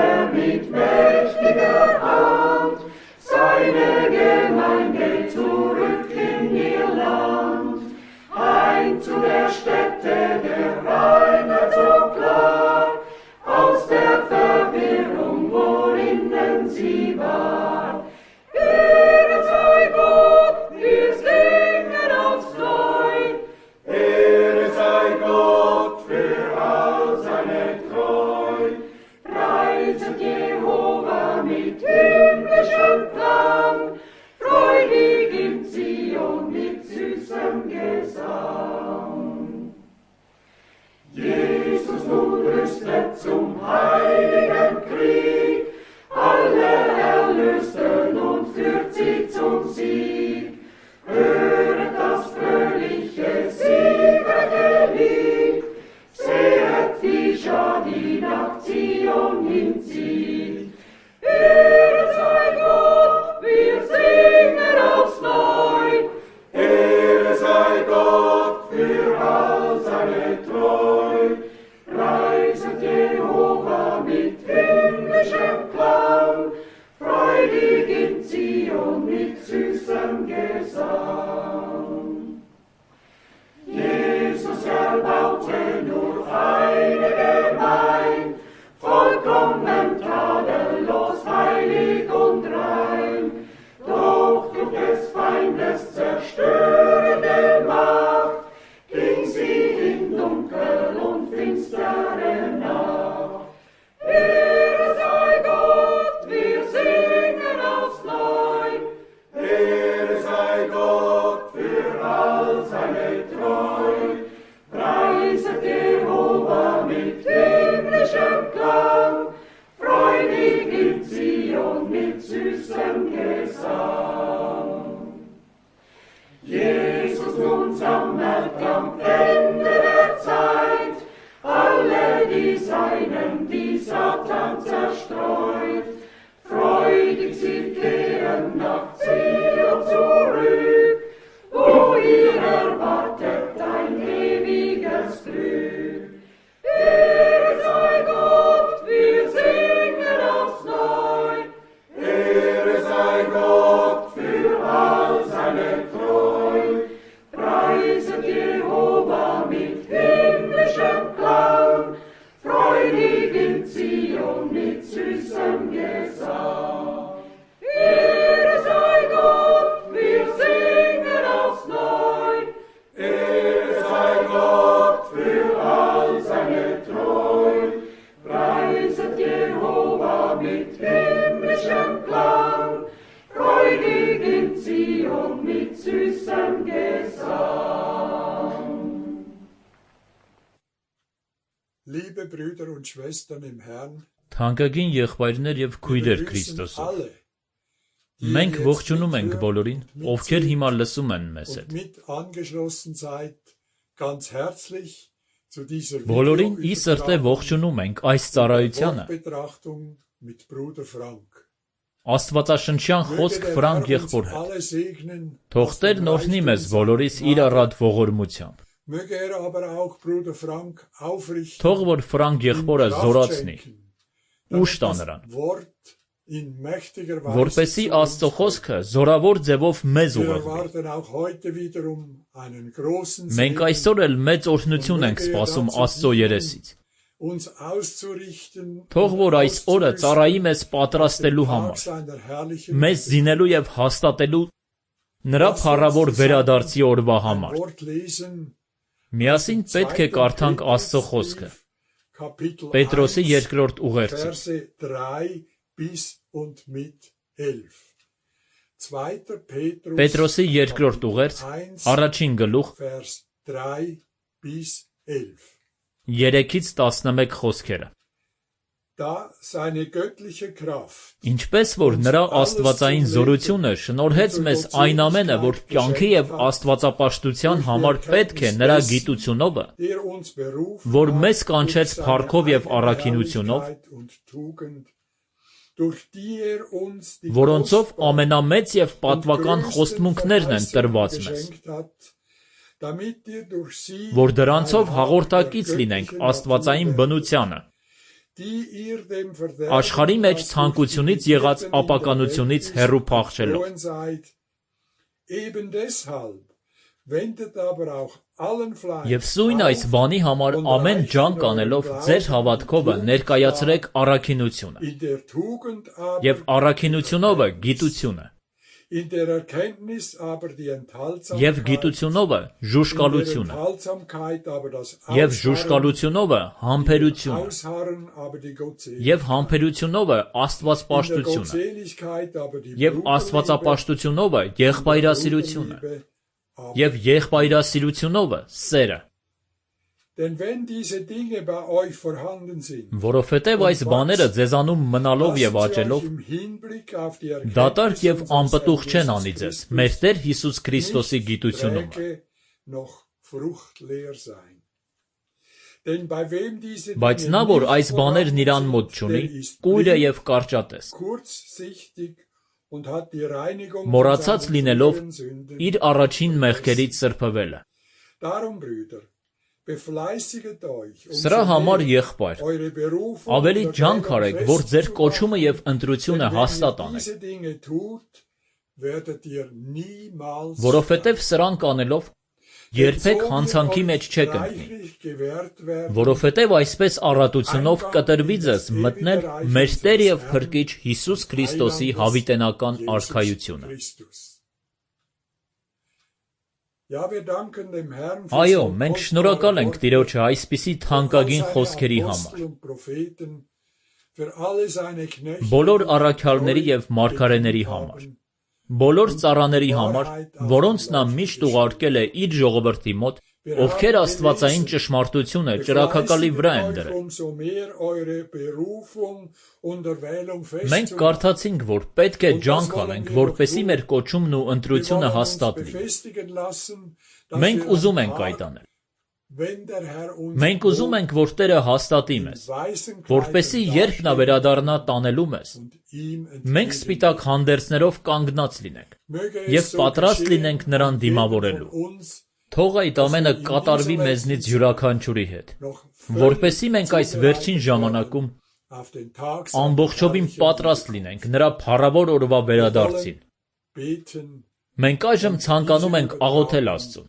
er mit mächtiger Hand seine Gemeinde zurück in ihr Land. Heim zu der Stätte der Reinheit so klar, aus der Verwirrung, worinnen sie war. Ehre sei Gott, wir singen aufs Neu. Ehre sei Gott für all seine Treu. Preiset Jehova mit himmlischem Klang, freudig in Zion mit süßem Gesang. Jesus nun rüstet zum heiligen Krieg, alle Erlösten und führt sie zum Sieg. Höret das fröhliche, siegreiche Lied, sehet die Schar, die nach Zion hinzieht. Ehre sei Gott, wir singen aufs Neu. Ehre sei Gott für all seine Treu. Preiset Jehova mit himmlischem Klang, freudig in Zion mit süßem Gesang. Jesus erbaute nur eine Gemeinde, vollkommen tadellos, heilig und rein. Doch durch des Feindes zerstörende Macht ging sie in Dunkel und finstere Nacht. Ehre sei Gott, wir singen aufs Neu. Ehre sei Gott für all seine Treu. Preiset Jehova mit himmlischem Klang, freudig in Zion mit süßem Gesang. Jesus nun sammelt am Ende der Zeit alle die Seinen, die Satan zerstreut. Freudig sie kehren nach Zion zurück, wo ihr erwartet ein ewiges Glück. Ehre sei Gott, wir singen aufs Neu. Ehre sei Gott für all seine Treu. Preiset Jehova mit himmlischem Klang, freudig in Zion mit süßem Gesang. Ehre sei Gott, wir singen aufs Neu. Ehre sei Gott für all seine Treu. Preiset Jehova mit himmlischem Klang, freudig in Zion mit süßem Gesang. Liebe Brüder und Schwestern im Herrn, Թանկագին եղբայրներ եւ քույրեր Քրիստոսով, մենք ողջունում ենք բոլորին, ովքեր հիմա լսում են մեզ հետ։ Բոլորին ի սրտե ողջունում ենք այս ծառայությանը։ Աստվածաշնչյան խոսք Ֆրանկ եղբոր հետ։ Թող Տերն օրհնի մեզ բոլորիս իր առատ ողորմությամբ։ Թող որ Ֆրանկ եղբորը զորացնի, ուշ տա նրան, որպեսզի Աստծո խոսքը զորավոր ձևով մեզ ուղղի։ Մենք այսօր էլ մեծ օրհնություն ենք սպասում Աստծո երեսից։ Թող որ այս օրը ծառայի մեզ պատրաստելու համար, մեզ զինելու եւ հաստատելու նրա փառավոր վերադարձի օրվա համար։ Միասին պետք է կարդանք Աստծո խոսքը։ Պետրոսի երկրորդ ուղերձը։ Պետրոսի երկրորդ ուղերձ, առաջին գլուխ, 3-ից 11 խոսքերը։ Ինչպես որ նրա աստվածային զորությունը շնորհեց մեզ այն ամենը, որ կյանքի եւ աստվածապաշտության համար պետք է նրա գիտությունովը, որ մեզ կանչեց փառքով եւ առաքինությունով, որոնցով ամենամեծ եւ պատվական խոստմունքներն են տրված մեզ, որ դրանցով հաղորդակից լինենք աստվածային բնությանը, Աշխարհի մեջ ցանկությունից եղած ապականությունից հեռու փախչելով։ Եվ սույն այս բանի համար ամեն ջանք անելով ձեր հավատքովը ներկայացրեք առաքինությունը, եւ առաքինությունովը գիտությունը, եւ գիտությունովը ժուժկալությունը, եւ ժուժկալությունովը համբերությունը, եւ համբերությունովը աստվածպաշտությունը, եւ աստվածապաշտությունովը եղբայրասիրությունը, եւ եղբայրասիրությունովը սերը։ Որովհետև այս բաները ձեզանում մնալով եւ աճելով դատարկ եւ անպտուղ չեն անի ձեզ մեր Տեր Հիսուս Քրիստոսի գիտությունում։ Բայց նա, որ այս բաներն իրան մոտ չունի, կույր է եւ կարճատես, մոռացած լինելով իր առաջին մեղքերից սրբվելը։ Սրա համար եղբայր, ավելի ջանք արեք, որ ձեր կոչումը եւ ընտրությունը հաստատ անեք, որովհետեւ սրանք անելով երբեք հանցանքի մեջ չեք ընկնի, որովհետեւ այսպես առատությունով կտրվի ձեզ մտնել մեր Տեր եւ Փրկիչ Հիսուս Քրիստոսի հավիտենական արքայությունը։ Այո, մենք շնորհակալ ենք Տիրոջը այսպիսի թանկագին խոսքերի համար, բոլոր առաքյալների եւ մարգարեների համար, բոլոր ծառաների համար, որոնց նա միշտ ուղարկել է իր ժողովրդի մոտ, ովքեր աստվածային ճշմարտությունը ճրագակալի վրա են դրել։ Մենք կարդացինք, որ պետք է ջանք անենք, որպեսզի մեր կոչումն ու ընտրությունը հաստատ լինի։ Մենք ուզում ենք այդ անել։ Մենք ուզում ենք, որ Տերը հաստատի մեզ, որպեսզի երբ նա վերադառնա տանելու մեզ, մենք սպիտակ հանդերձներով կանգնած լինենք եւ պատրաստ լինենք նրան դիմավորելու։ Թող այդ ամենը կատարվի մեզնից յուրաքանչյուրի հետ, որպեսզի մենք այս վերջին ժամանակում ամբողջովին պատրաստ լինենք նրա փառավոր օրվա վերադարձին։ Մենք այժմ ցանկանում ենք աղոթել Աստծուն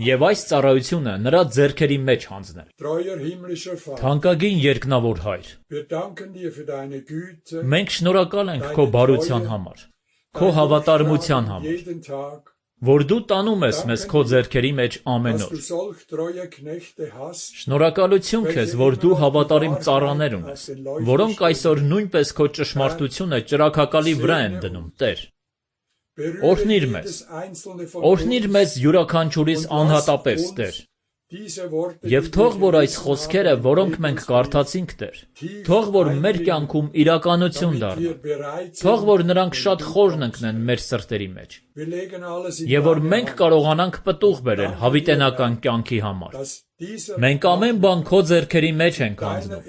եւ այս ծառայությունը նրա ձեռքերի մեջ հանձնել։ Թանկագին երկնավոր Հայր, մենք շնորհակալ ենք քո բարության համար, քո հավատարմության համար, որ դու տանում ես մեզ քո ձեռքերի մեջ ամեն օր։ Շնորհակալություն քեզ, որ դու հավատարիմ ծառաներ ունես, որոնք այսօր նույնպես քո ճշմարտությունը ճրագակալի վրա են դնում, Տեր։ Օրհնիր մեզ յուրաքանչյուրիս անհատապես, Տեր։ Եվ թող որ այս խոսքերը, որոնք մենք կարդացինք, Տեր, թող որ մեր կյանքում իրականություն դառնան, թող որ նրանք շատ խորն ընկնեն մեր սրտերի մեջ, եւ որ մենք կարողանանք պտուղ բերել հավիտենական կյանքի համար։ Մենք ամեն բան քո ձեռքերի մեջ ենք հանձնում։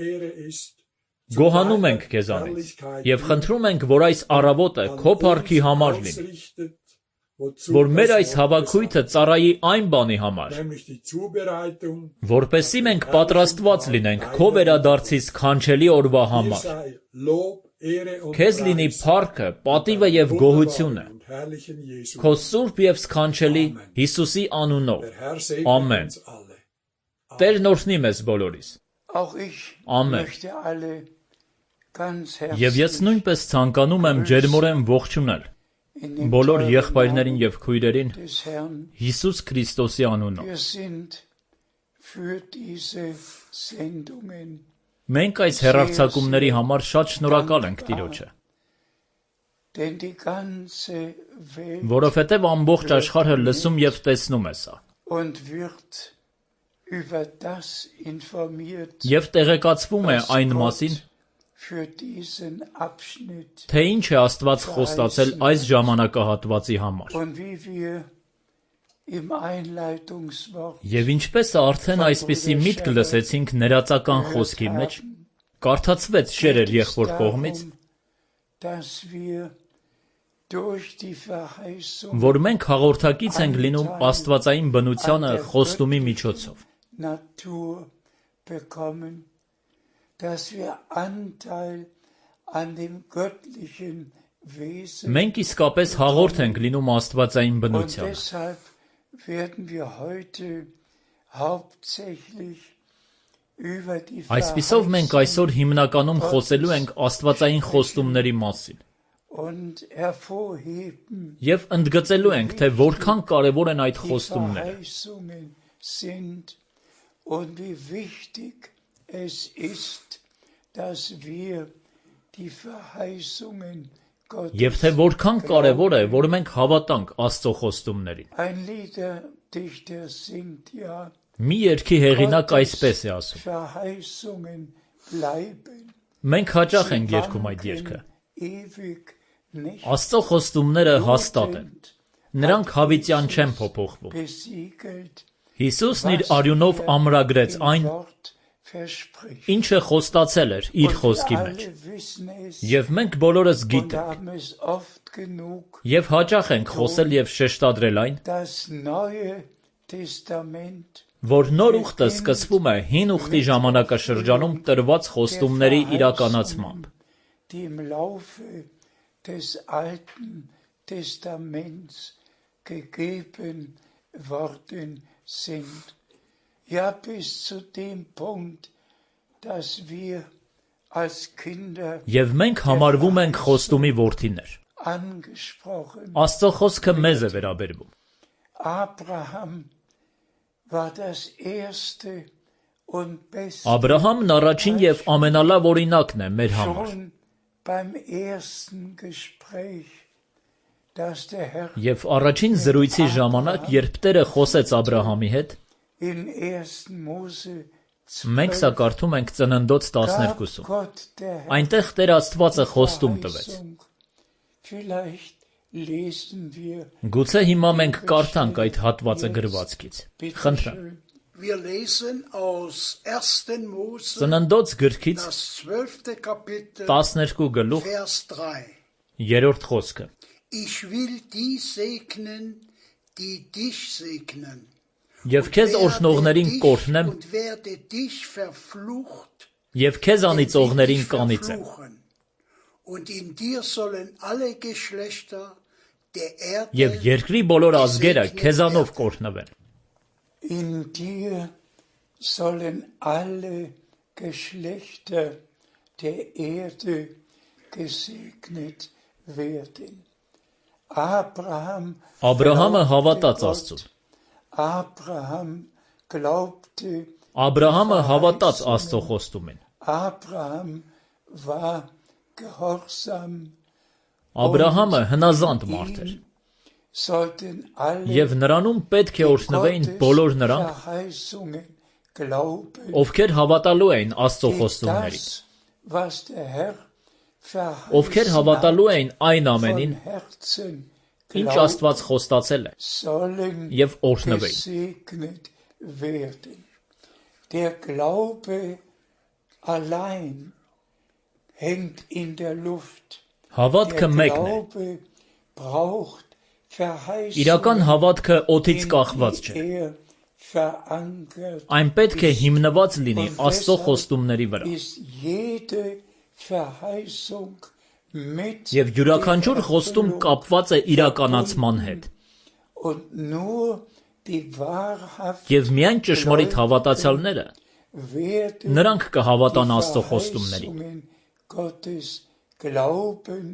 Գոհանում ենք քեզանից եւ խնդրում ենք, որ այս առավոտը քո փառքի համար լինի, որ մեր այս հավաքույթը ծառայի այն բանի համար, որպեսզի մենք պատրաստված լինենք քո վերադարձի սքանչելի օրվա համար։ Քեզ լինի փառքը, պատիվը եւ գոհությունը քո սուրբ եւ սքանչելի Հիսուսի անունով։ Ամեն։ Տերն օրհնի մեզ բոլորիս։ Ամեն։ Եվ ես նույնպես ցանկանում եմ ջերմորեն ողջունել բոլոր եղբայրներին եւ քույրերին Հիսուս Քրիստոսի անունով։ Մենք այս հեռարձակումների համար շատ շնորհակալ ենք Տիրոջը, որովհետեւ ամբողջ աշխարհը լսում եւ տեսնում է սա։ Եվ տեղեկացվում է այն մասին, թե ինչ է Աստված խոստացել այս ժամանակահատվածի համար։ Եվ ինչպես արդեն այսպիսի միտք լսեցինք ներածական խոսքի մեջ, կարդացվեց շերեր եղբոր կողմից, որ մենք հաղորդակից ենք լինում աստվածային բնությանը խոստումի միջոցով։ dass wir Anteil an dem göttlichen Wesen Մենք իսկապես հաղորդ ենք լինում աստվածային und բնությանը։ deshalb werden wir heute hauptsächlich über die Այսպիսով մենք այսօր հիմնականում խոսելու ենք աստվածային խոստումների մասին und hervorheben եւ ընդգծելու ենք, թե որքան կարեւոր են այդ die խոստումները Verheißungen sind und wie wichtig es ist, dass wir die Verheißungen Gottes եւ թե որքան կարեւոր է, որ մենք հավատանք Աստծո խոստումներին։ Ein Liederdichter singt ja, Մի երգի հեղինակ այսպես է ասում. Verheißungen bleiben, Մենք հաճախ ենք երգում այդ երգը։ ewig nicht Աստծո խոստումները հաստատ են։ Նրանք հավիտյան չեն փոփոխվում։ besiegelt, Հիսուսն իր արյունով ամրագրեց im այն, Wort verspricht. ինչը խոստացել էր իր Und խոսքի wir մեջ։ alle wissen es Եվ մենք բոլորս und գիտենք, haben es oft genug, եւ հաճախ ենք խոսել եւ շեշտադրել այն, das Neue Testament որ նոր ուխտը սկսվում է հին ուխտի ժամանակաշրջանում տրված խոստումների իրականացմամբ։ die im Laufe des Alten Testaments gegeben worden sind. Ja, bis zu dem Punkt, dass wir als Kinder Եվ մենք համարվում ենք խոստումի որդիներ։ angesprochen. Աստծո խոսքը մեզ է վերաբերվում։ Abraham war das erste und beste Աբրահամն առաջին եւ ամենալավ օրինակն է մեր համար։ schon beim ersten Gespräch, das der Herr Եվ առաջին զրույցի ժամանակ, երբ Տերը խոսեց Աբրահամի հետ, in 1. Mose մենք սա 12 կարդում ենք Ծննդոց gab 12-ում։ Gott der Herr Այնտեղ Տեր Աստվածը խոստում տվեց։ Verheißung. Vielleicht lesen wir Գուցե հիմա մենք կարդանք այդ հատվածը գրվածքից։ bitte Խնդրեմ։ schön. Wir lesen aus 1. Mose, Ծննդոց գրքից das 12. Kapitel, 12 գլուխ Vers 3. 3-րդ խոսքը։ Ich will die segnen, die dich segnen. Եվ քեզ օրհնողներին կօրհնեմ, Und werde dich verflucht, եւ քեզ անիծողներին dich կանիծեմ։ verfluchen. Und in dir sollen alle Geschlechter der Եվ Erde երկրի բոլոր ազգերը քեզանով կօրհնվեն։ In dir sollen alle Geschlechter der Erde gesegnet werden. Abraham Աբրահամը glaubte հավատաց Gott. Աստծուն։ Abraham glaubte, Աբրահամը հավատաց Աստծո խոստումին։ Abraham war gehorsam. Աբրահամը հնազանդ մարդ էր, Sollten alle եւ նրանում պետք է օրհնվեին բոլոր նրանք, Verheißungen glauben. ովքեր հավատալու էին Աստծո խոստումներին, Das, was der Herr ովքեր հավատալու էին այն ամենին, von Herzen ինչ glauben, Աստված խոստացել է, sollen եւ օրհնվեին։ gesegnet werden. Der Glaube allein hängt in der Luft. Հավատքը Der մեկն է։ Glaube braucht Իրական Verheißungen, հավատքը օդից in կախված չէ։ die er verankert Այն պետք է հիմնված լինի Und Աստծո deshalb խոստումների վրա։ ist jede Verheißung mit Եվ յուրաքանչյուր der խոստում Erfüllung կապված է իրականացման հետ։ und nur die wahrhaft Եվ միայն ճշմարիտ հավատացյալները werden նրանք կհավատան die Աստծո խոստումներին։ Verheißungen Gottes glauben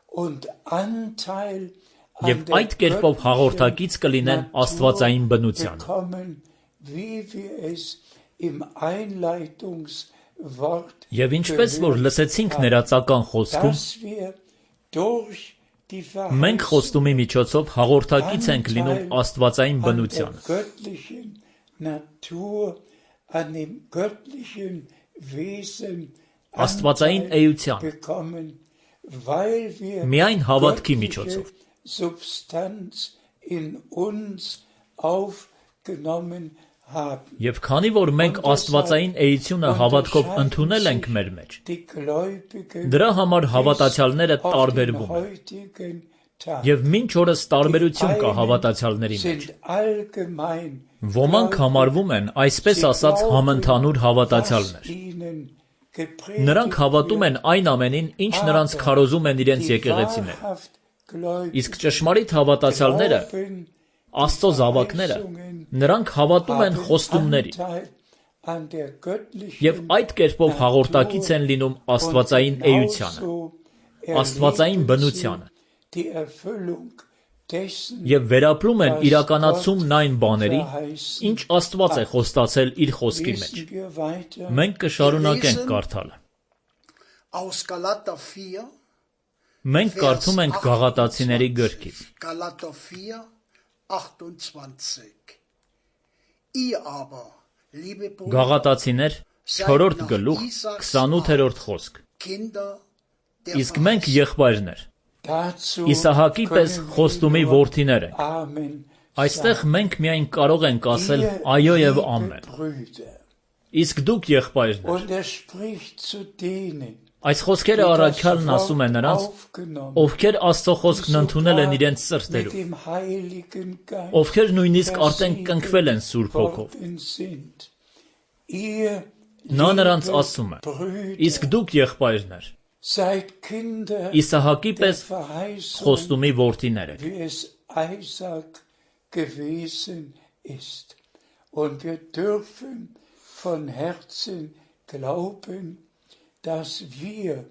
und Anteil an Եվ der այդ կերպով հաղորդակից կլինեն Natur Աստվածային բնությանը։ bekommen, wie wir es im Einleitungswort Եվ ինչպես որ լսեցինք ներածական խոսքում, dass wir durch die մենք խոստումի միջոցով հաղորդակից ենք լինում Anteil Աստվածային an der բնությանը, göttlichen Natur, an dem göttlichen Wesen Աստվածային Anteil էության, bekommen, weil wir միայն հավատքի göttliche միջոցով։ Substanz in uns aufgenommen haben. Եվ քանի որ մենք Աստվածային էությունը հավատքով ընդունել ենք մեր մեջ, Die Gläubigen դրա համար հավատացյալները auf den տարբերվում են։ heutigen Tag Եվ մինչ օրս տարբերություն կա հավատացյալների մեջ։ sind allgemein Ոմանք համարվում են, այսպես ասած, համընդհանուր was հավատացյալներ, ihnen Նրանք հավատում են այն ամենին, ինչ նրանց քարոզում են իրենց եկեղեցիները։ Իսկ ճշմարիտ հավատացյալները, Աստծո զավակները, նրանք հավատում են խոստումներին եւ այդ կերպով հաղորդակից են լինում աստվածային էությանը, աստվածային բնությանը եւ վերապրում են իրականացումն այն բաների, ինչ Աստված է խոստացել իր խոսքի մեջ։ Մենք կշարունակենք կարդալը։ Մենք կարդում ենք Գաղատացիների գրքից։ Գաղատացիներ 4-րդ գլուխ 28-րդ խոսք։ Իսկ մենք եղբայրներ, Իսահակի պես խոստումի որդիներ ենք։ Այստեղ մենք միայն կարող ենք ասել այո եւ ամեն։ Իսկ դուք եղբայրներ։ Այս խոսքերը առաքյալն ասում է նրանց, ովքեր Աստծո խոսքն ընդունել են իրենց սրտերում, ովքեր նույնիսկ արդեն կնքվել են Սուրբ Հոգով։ Նա նրանց ասում է. իսկ դուք եղբայրներ, Իսահակի պես խոստումի որդիներ եք։ Und wir dürfen von Herzen glauben, dass wir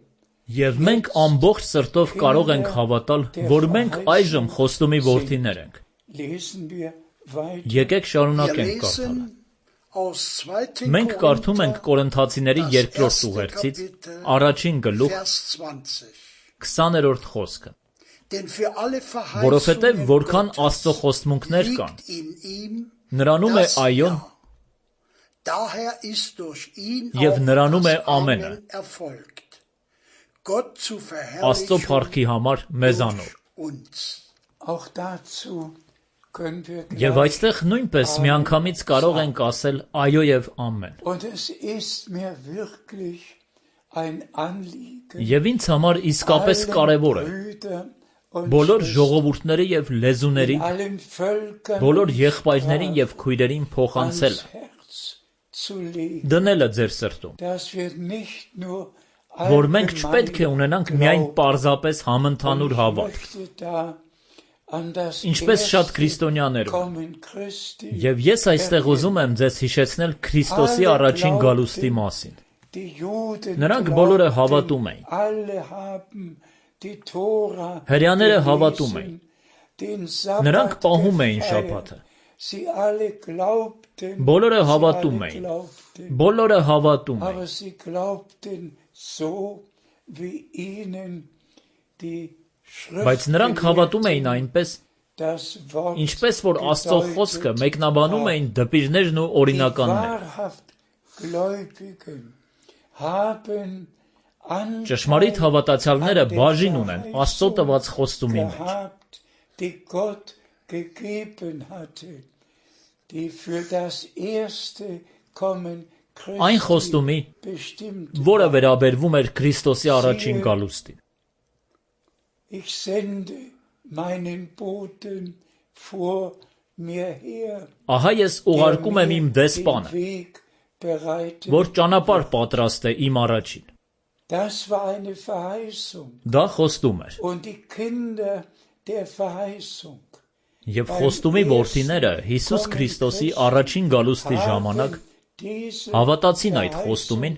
Եվ մենք ամբողջ սրտով կարող ենք հավատալ, որ մենք այժմ խոստումի որդիներ ենք։ Եկեք շարունակենք կարդալը։ Մենք կարդում ենք Կորինթացիների 2-րդ ուղերձից, առաջին գլուխ 20-րդ խոսքը։ Որովհետև որքան Աստծո խոստմունքներ կան, նրանում է այոն եւ նրանում է ամենը, Աստծո փառքի համար մեզանով։ Եվ այստեղ նույնպես միանգամից կարող ենք ասել այո եւ ամեն։ Եվ ինձ համար իսկապես կարևոր է բոլոր ժողովուրդների եւ լեզուների, բոլոր եղբայրներին եւ քույրերին փոխանցելը, դնելը ձեր սրտում, որ մենք չպետք է ունենանք միայն պարզապես համընդհանուր հավատք, ինչպես շատ քրիստոնյաներում։ Եվ ես այստեղ ուզում եմ ձեզ հիշեցնել Քրիստոսի առաջին գալուստի մասին։ Նրանք բոլորը հավատում էին։ Հրեաները հավատում էին։ Նրանք պահում էին շաբաթը։ Բոլորը հավատում էին։ Բոլորը հավատում էին։ Բայց նրանք հավատում էին այնպես, ինչպես որ Աստծո խոսքը մեկնաբանում էին դպիրներն ու օրինականները։ Ճշմարիտ հավատացյալները բաժին ունեն Աստծո տված խոստումի մեջ։ Այն խոստումի, որը վերաբերվում էր Քրիստոսի առաջին գալուստին։ Ահա ես ուղարկում եմ իմ դեսպանը, որ ճանապարհ պատրաստ է իմ առաջին։ Դա խոստում էր։ Եվ խոստումի որդիները Հիսուս Քրիստոսի առաջին գալուստի ժամանակ հավատացին այդ խոստումին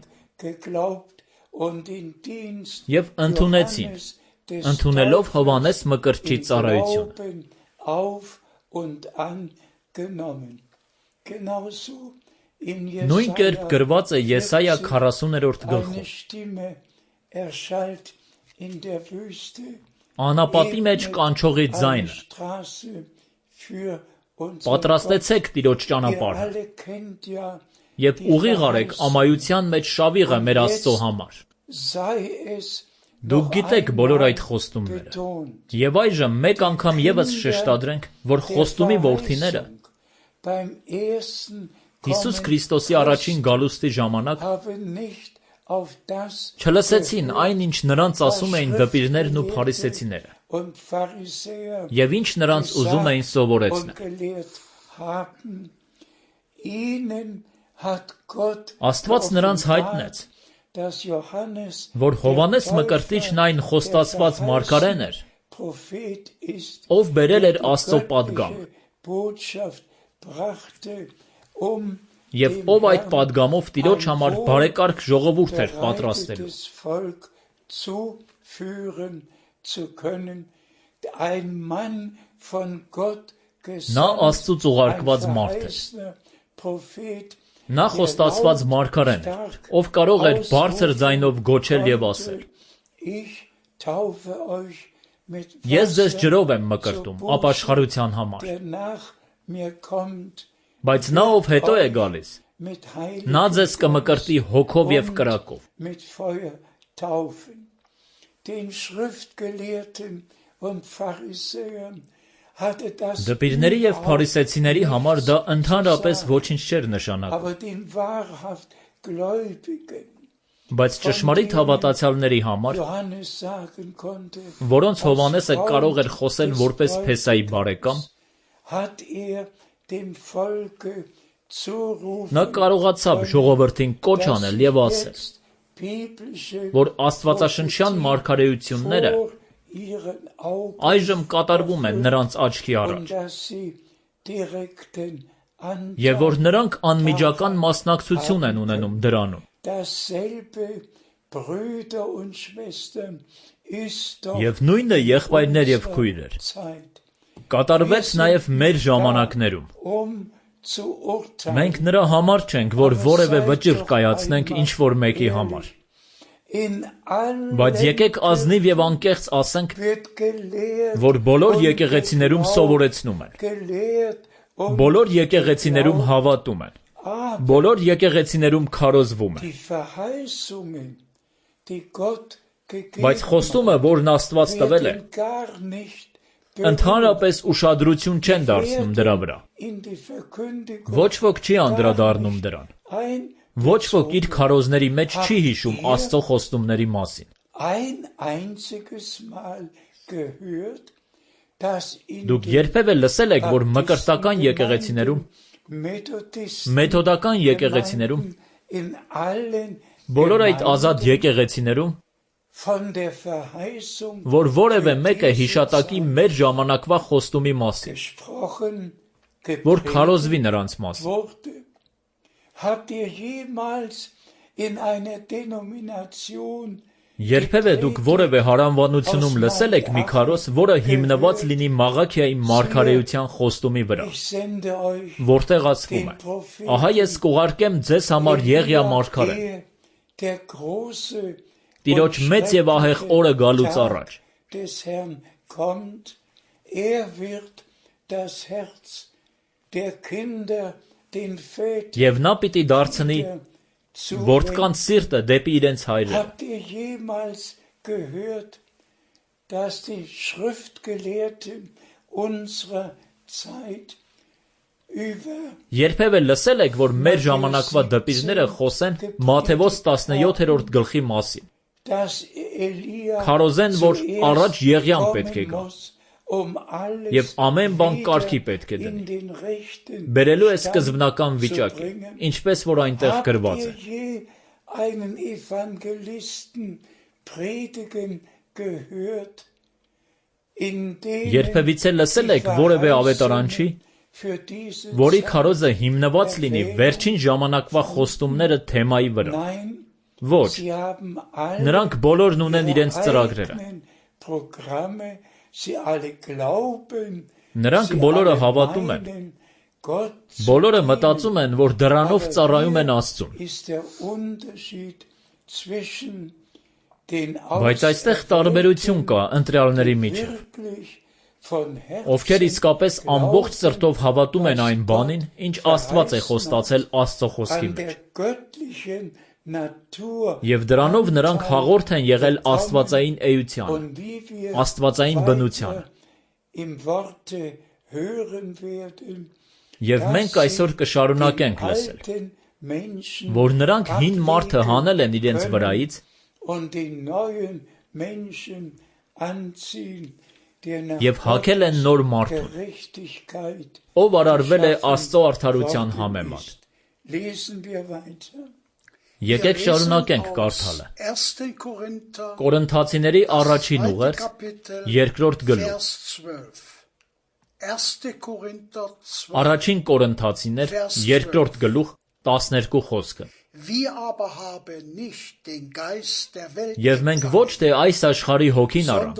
եւ ընդունեցին, ընդունելով Հովհաննես Մկրտչի ծառայությունը։ Նույն կերպ գրված է Եսայա 40-րդ գլխում։ Անապատի մեջ կանչողի ձայնը։ Պատրաստեցեք Տիրոջ ճանապարհը եւ ուղիղ արեք ամայության մեջ շավիղը մեր Աստծո համար։ Դուք գիտեք բոլոր այդ խոստումները։ Եվ այժմ մեկ անգամ եւս շեշտադրենք, որ խոստումի որդիները Հիսուս Քրիստոսի առաջին գալուստի ժամանակ չլսեցին այն, ինչ նրանց ասում էին դպիրներն ու փարիսեցիները, եւ ինչ նրանց ուզում էին սովորեցնել։ Աստված նրանց հայտնեց, dass Johannes որ Հովանես Մկրտիչն այն խոստացված մարգարեն էր, Prophet ist, ով բերել էր der Աստծո die պատգամ, göttliche Botschaft brachte, եւ ով այդ պատգամով Տիրոջ համար բարեկարգ ժողովուրդ էր պատրաստելու։ bereitetes Volk zuführen zu können, ein Mann von Gott Նա Աստծուց ուղարկված մարդ էր։ Prophet, Նա խոստացված մարգարեն էր, ով կարող էր բարձր ձայնով գոչել եւ ասել. Ich taufe euch mit Ես ձեզ Wasser ջրով եմ մկրտում ապաշխարության համար, der nach mir kommt, բայց նա ով հետո է գալիս, mit նա Heiligen ձեզ կմկրտի հոգով եւ und կրակով։ mit Feuer taufen. Den Schriftgelehrten und Pharisäern hatte das Դպիրների եւ փարիսեցիների համար դա ընդհանրապես ոչինչ չէր նշանակում, aber den wahrhaft Gläubigen բայց ճշմարիտ հավատացյալների համար, Johannes sagen konnte, որոնց Հովանեսը կարող էր խոսել որպես Փեսայի բարեկամ, hat dem Volke zurufen, նա կարողացավ ժողովրդին կոչ անել եւ ասել, jetzt biblische որ աստվածաշնչյան մարգարեությունները vor ihren Augen այժմ կատարվում են նրանց աչքի und առաջ, dass sie direkten եւ որ Anteil նրանք անմիջական մասնակցություն են ունենում դրանում։ dasselbe Brüder und Schwestern ist doch Եվ նույնը եղբայրներ եւ քույրեր Zeit, կատարվեց նաեւ մեր ժամանակներում։ zu urteilen. Մենք նրա համար չենք, որ որևէ վճիռ կայացնենք ինչ որ մեկի համար, In allen բայց եկեք ազնիվ եւ անկեղծ ասենք, wird gelehrt որ բոլոր եկեղեցիներում սովորեցնում են, gelehrt բոլոր եկեղեցիներում հավատում են, բոլոր եկեղեցիներում քարոզվում են, die Verheißungen, die Gott gegeben բայց խոստումը, որն Աստված տվել է, werden gar nicht ընդհանրապես ուշադրություն չեն դարձնում դրա վրա։ in die Verkündigung Ոչ ոք չի անդրադառնում դրան։ Ոչ ոք իր քարոզների մեջ չի հիշում Աստծո խոստումների մասին։ ein einziges Mal gehört, dass in Դուք երբևէ լսել եք, որ մկրտական եկեղեցիներում, մեթոդական եկեղեցիներում, in allen բոլոր այդ ազատ եկեղեցիներում, von der Verheißung որ որևէ մեկը հիշատակի մեր ժամանակվա խոստումի մասին, gesprochen որ քարոզվի նրանց մասին։ wurde. Habt ihr jemals in einer Denomination Երբևէ դուք որևէ հարանվանությունում լսել եք մի քարոզ, որը հիմնված լինի Մաղաքիայի մարգարեության խոստումի վրա, ich sende euch որտեղ ասվում է. Ահա ես կուղարկեմ ձեզ համար Եղիա մարգարեն, der große Տիրոջ մեծ եւ ահեղ օրը գալուց առաջ, des Herrn kommt, wird das Herz der Kinder den Vätern եւ նա պիտի դարձնի որդկանց սիրտը դեպի իրենց հայրերը։ Habt ihr jemals gehört, dass die Schriftgelehrten unserer Zeit über Երբևէ լսել եք, որ մեր ժամանակվա դպիրները խոսեն Մատթեոս 17-րդ գլխի մասին։ dass Elia Քարոզեն, որ առաջ Եղիան պետք է գա alles եւ ամեն բան կարգի պետք է in դնի։ den rechten Բերելու է սկզբնական վիճակի, ինչպես որ այնտեղ գրված է։ Habt ihr je einen Evangelisten predigen gehört, in dem Երբևիցե լսել եք որևէ ավետարանչի, für diese որի քարոզը հիմնված լինի վերջին ժամանակվա խոստումները թեմայի վրա։ Nein, Ոչ, sie haben alle նրանք բոլորն ունեն իրենց ihre ծրագրերը։ eigenen Programme, sie alle glauben, Նրանք sie բոլորը alle հավատում են, meinen, Gott zu բոլորը dienen. մտածում են, որ դրանով Aber ծառայում են hier Աստծուն։ ist der Unterschied zwischen den Բայց այստեղ տարբերություն կա ընտրյալների միջև, wirklich von ովքեր Herzen իսկապես ամբողջ սրտով հավատում են այն բանին, ինչ Աստված է խոստացել Աստծո խոսքի an մեջ, der göttlichen Natur եւ դրանով նրանք հաղորդ են եղել աստվածային էությանը, und wie wir աստվածային բնությանը։ im Worte hören werden, Եվ մենք այսօր կշարունակենք լսել, alten Menschen որ նրանք հին մարդը հանել են իրենց վրայից und den neuen Menschen anziehen, der nach եւ հագել են նոր մարդուն, Gerechtigkeit ով արարվել է Աստծո արդարության համեմատ։ Lesen wir weiter. Եկեք շարունակենք կարդալը։ Կորինթացիների առաջին ուղերձ, երկրորդ գլուխ։ Առաջին Կորինթացիներ, երկրորդ գլուխ, 12 խոսքը։ Եվ մենք ոչ թե այս աշխարհի հոգին առանք,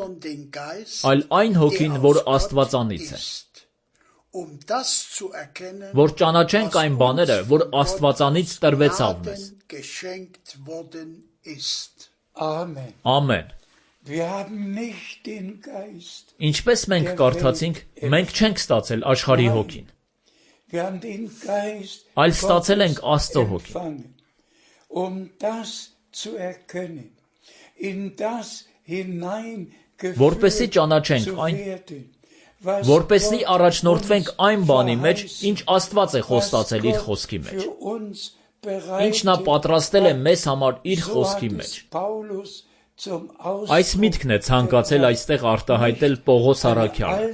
այլ այն հոգին, որ Աստվածանից է, որ ճանաչենք այն բաները, որ Աստվածանից տրվեցավ մեզ։ Ամեն։ Ինչպես մենք կարդացինք, մենք չենք ստացել աշխարհի հոգին, այլ ստացել ենք Աստծո հոգին, որպեսզի ճանաչենք այն, որպեսզի առաջնորդվենք այն բանի մեջ, ինչ Աստված է խոստացել իր խոսքի մեջ, ինչ նա պատրաստել է մեզ համար իր խոսքի մեջ։ Այս միտքն է ցանկացել այստեղ արտահայտել Պողոս առաքյալը։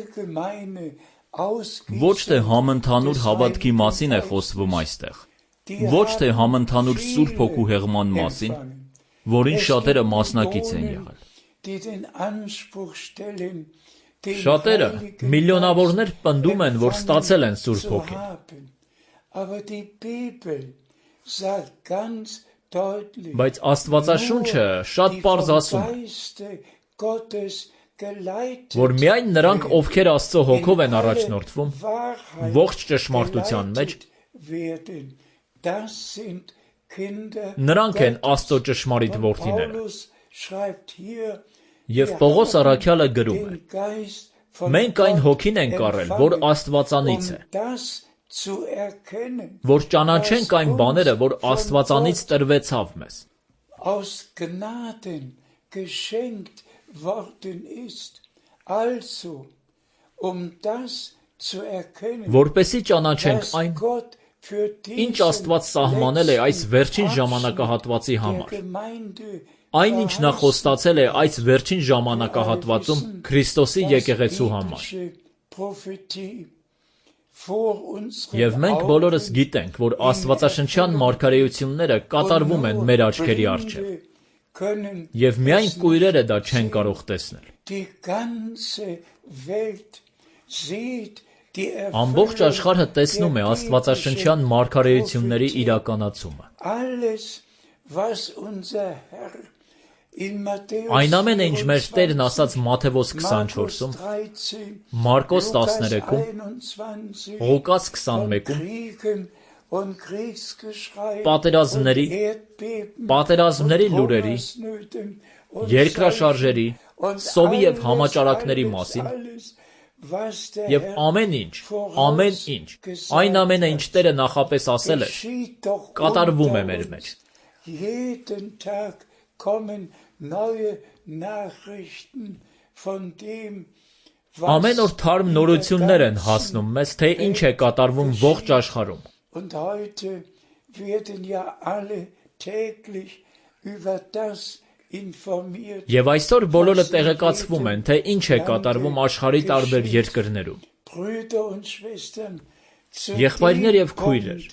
Ոչ թե համընդհանուր հավատքի մասին է խոսվում այստեղ, ոչ թե համընդհանուր Սուրբ Հոգու հեղման մասին, որին շատերը մասնակից են եղել։ Շատերը, միլիոնավորներ պնդում են, որ ստացել են Սուրբ Հոգին։ Բայց Աստվածաշունչը շատ պարզ ասում է, որ միայն նրանք, ովքեր Աստծո հոգով են առաջնորդվում, ողջ ճշմարտության մեջ, նրանք են Աստծո ճշմարիտ որդիները։ Եվ Պողոս առաքյալը գրում է. մենք այն հոգին ենք առել, որ Աստվածանից է, որ ճանաչենք այն բաները, որ Աստվածանից տրվեցավ մեզ։ Որպեսզի ճանաչենք այն, ինչ Աստված սահմանել է այս վերջին ժամանակահատվածի համար, այնինչ նա խոստացել է այս վերջին ժամանակահատվածում Քրիստոսի եկեղեցու համար։ Եվ մենք բոլորս գիտենք, որ աստվածաշնչյան մարգարեությունները կատարվում են մեր աչքերի առջև, եւ միայն կույրերը դա չեն կարող տեսնել։ Ամբողջ աշխարհը տեսնում է աստվածաշնչյան մարգարեությունների իրականացումը։ Այն ամենը, ինչ մեր Տերն ասաց Մատթեոս 24-ում, Մարկոս 13-ում, Ղուկաս 21-ում, պատերազմների լուրերի, երկրաշարժերի, սովի եւ համաճարակների մասին, եւ ամեն ինչ, այն ամենը, ինչ Տերը նախապես ասել է, կատարվում է մեր մեջ։ Ամեն օր թարմ նորություններ են հասնում մեզ, թե ինչ է կատարվում ողջ աշխարհում։ Եվ այսօր բոլորը տեղեկացվում են, թե ինչ է կատարվում աշխարհի տարբեր երկրներում։ Եղբայրներ եւ քույրեր,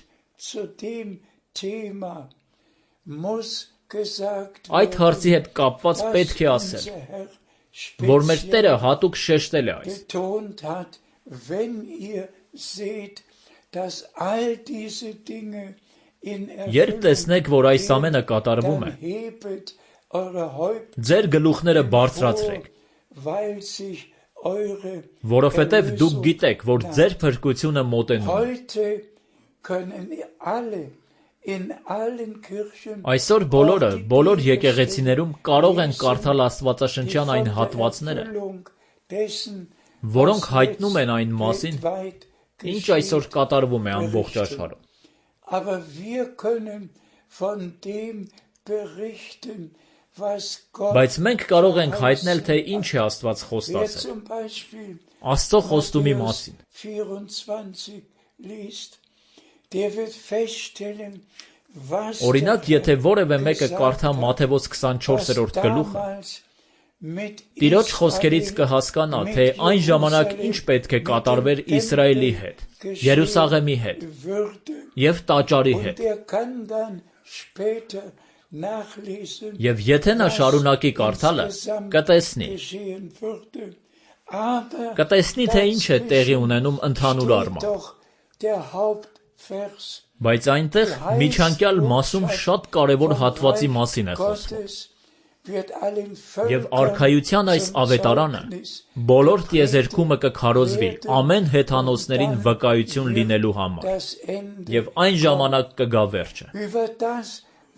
այդ հարցի հետ կապված պետք է ասել, որ մեր Տերը հատուկ շեշտել է այս։ Երբ տեսնեք, որ այս ամենը կատարվում է, ձեր գլուխները բարձրացրեք, որովհետև դուք գիտեք, որ ձեր փրկությունը մոտենում է։ Այսօր բոլորը, բոլոր եկեղեցիներում կարող են կարդալ աստվածաշնչյան այն հատվածները, որոնք հայտնում են այն մասին, ինչ այսօր կատարվում է ամբողջ աշխարհում։ Բայց մենք կարող ենք հայտնել, թե ինչ է Աստված խոստացել։ Աստծո խոստումի մասին։ Օրինակ, եթե որևէ մեկը կարդա Մատթեոս 24-րդ գլուխը, Տիրոջ խոսքերից կհասկանա, թե այն ժամանակ ինչ պետք է կատարվեր Իսրայելի հետ, Երուսաղեմի հետ և տաճարի հետ, später nachlesen, Եվ եթե նա շարունակի կարդալը, կտեսնի, geschehen würde. Aber կտեսնի, թե ինչ է տեղի ունենում ընդհանուր steht առմամբ։ doch der Hauptvers. Բայց այնտեղ միջանկյալ մասում շատ կարևոր հատվածի մասին է խոսվում։ Gottes wird allen Եվ Völkern արքայության այս zum ավետարանը Zeugnis բոլոր տիեզերքումը կքարոզվի ամեն հեթանոսներին վկայություն լինելու համար։ das Ende Եվ այն ժամանակ կգա վերջը։ über das,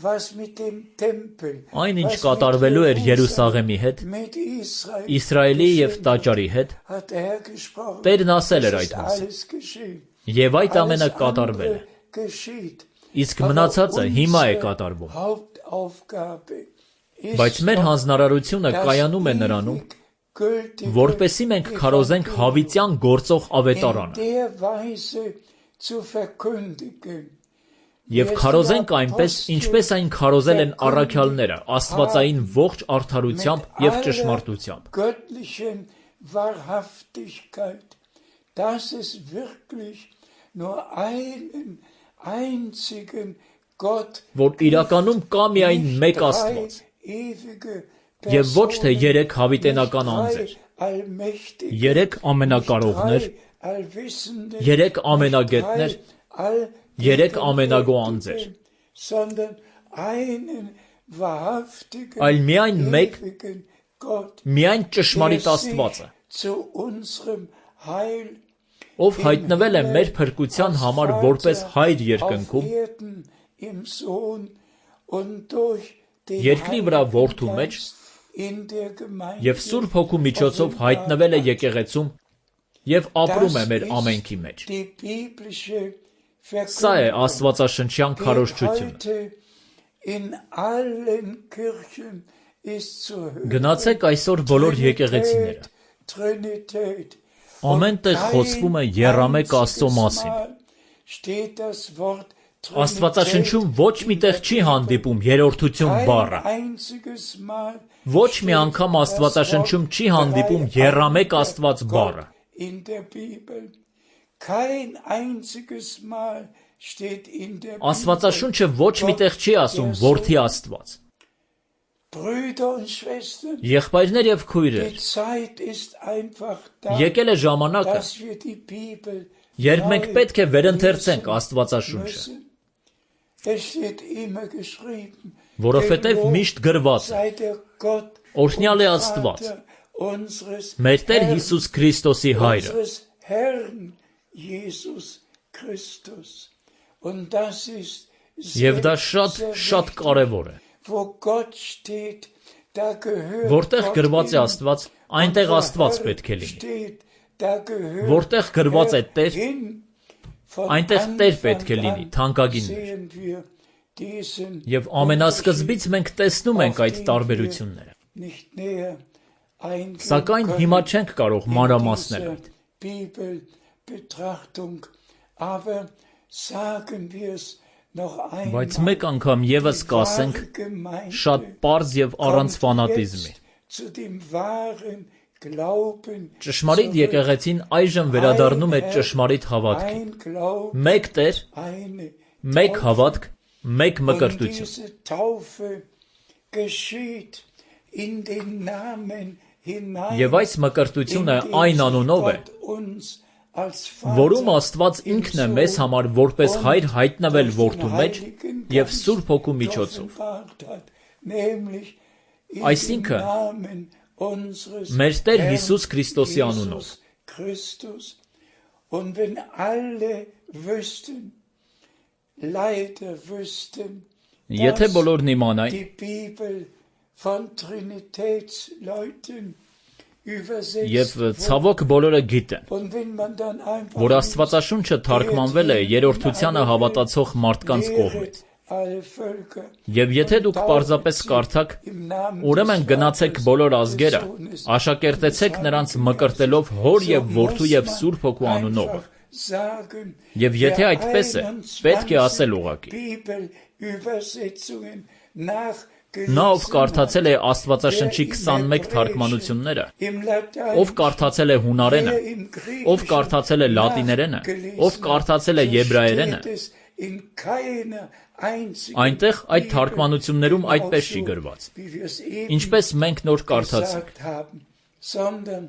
was mit dem Tempel, Այն ինչ was կատարվելու էր mit Երուսաղեմի հետ, mit Israel Իսրայելի եւ geschehen Տաճարի հետ, hat der Herr gesprochen. Տերն ասել էր Es այդ ist մասին։ alles geschehen. Եվ այդ ամենը Alles կատարվել է։ andere geschieht. Իսկ մնացածը հիմա է կատարվում։ Hauptaufgabe ist Բայց մեր doch հանձնարարությունը das կայանում է նրանում, ewig gültige որպեսզի մենք քարոզենք հավիտյան գործող in ավետարանը der Weise zu verkündigen. եւ քարոզենք այնպես, ինչպես այն քարոզել են առաքյալները, աստվածային ողջ արդարությամբ եւ ճշմարտությամբ։ Göttlichen Wahrhaftigkeit, dass es wirklich nur einen einzigen Gott Որ իրականում կա միայն մեկ Աստված եւ ոչ թե երեք հավիտենական անձեր, երեք ամենակարողներ, երեք ամենագետներ, երեք ամենագո անձեր, այլ միայն մեկ, միայն ճշմարիտ Աստվածը, ով հայտնվել է մեր փրկության համար որպես հայր երկնքում, երկրի վրա որդու մեջ եւ Սուրբ Հոգու միջոցով հայտնվել է եկեղեցում եւ ապրում է մեր ամենքի մեջ։ Սա է աստվածաշնչյան քարոզչությունը։ Գնացեք այսօր բոլոր եկեղեցիները։ Ամեն տեղ խոսվում է եռամեկ Աստծո մասին։ Աստվածաշնչում ոչ մի տեղ չի հանդիպում երրորդություն բառը։ Ոչ մի անգամ Աստվածաշնչում չի հանդիպում եռամեկ Աստված բառը։ Աստվածաշունչը ոչ մի տեղ չի ասում որդի Աստված։ Եղբայրներ եւ քույրեր, եկել է ժամանակը, երբ մենք պետք է վերընթերցենք Աստվածաշունչը, որովհետև միշտ գրված է. Օրհնյալ է Աստված, մեր Տեր Հիսուս Քրիստոսի Հայրը։ Եվ դա շատ կարևոր է։ Որտեղ գրված է Աստված, այնտեղ Աստված պետք է լինի։ Որտեղ գրված է Տեր, այնտեղ Տեր պետք է լինի, թանկագիններ։ Եվ ամենասկզբից մենք տեսնում ենք այդ տարբերությունները։ Սակայն հիմա չենք կարող մանրամասնել այդ։ Բայց մեկ անգամ եւս կասենք շատ պարզ եւ առանց ֆանատիզմի։ Ճշմարիտ եկեղեցին այժմ վերադառնում է ճշմարիտ հավատքին։ Մեկ Տեր, մեկ հավատք, մեկ մկրտություն։ Եվ այս մկրտությունը այն անունով է, որում Աստված ինքն է մեզ համար որպես հայր հայտնվել որդու մեջ եւ Սուրբ Հոգու միջոցով։ Այսինքն մեր Տեր Հիսուս Քրիստոսի անունով։ Եթե բոլորն իմանային, եւ ցավոք բոլորը գիտեն, որ Աստվածաշունչը թարգմանվել է երրորդությանը հավատացող մարդկանց կողմից։ Եվ եթե դուք պարզապես կարդաք, ուրեմն գնացեք բոլոր ազգերը, աշակերտեցեք նրանց մկրտելով Հոր եւ Որդու եւ Սուրբ Հոգու անունով։ Եվ եթե այդպես է, պետք է ասել ուղղակի. Նա, ով կարդացել է Աստվածաշնչի 21 թարգմանությունները, ով կարդացել է հունարենը, ով կարդացել է լատիներենը, ով կարդացել է եբրայերենը, in keiner einzigen Այնտեղ այդ Bibel թարգմանություններում այդպես չի genauso, գրված, wie wir es eben ինչպես մենք նոր կարդացինք, gesagt haben, sondern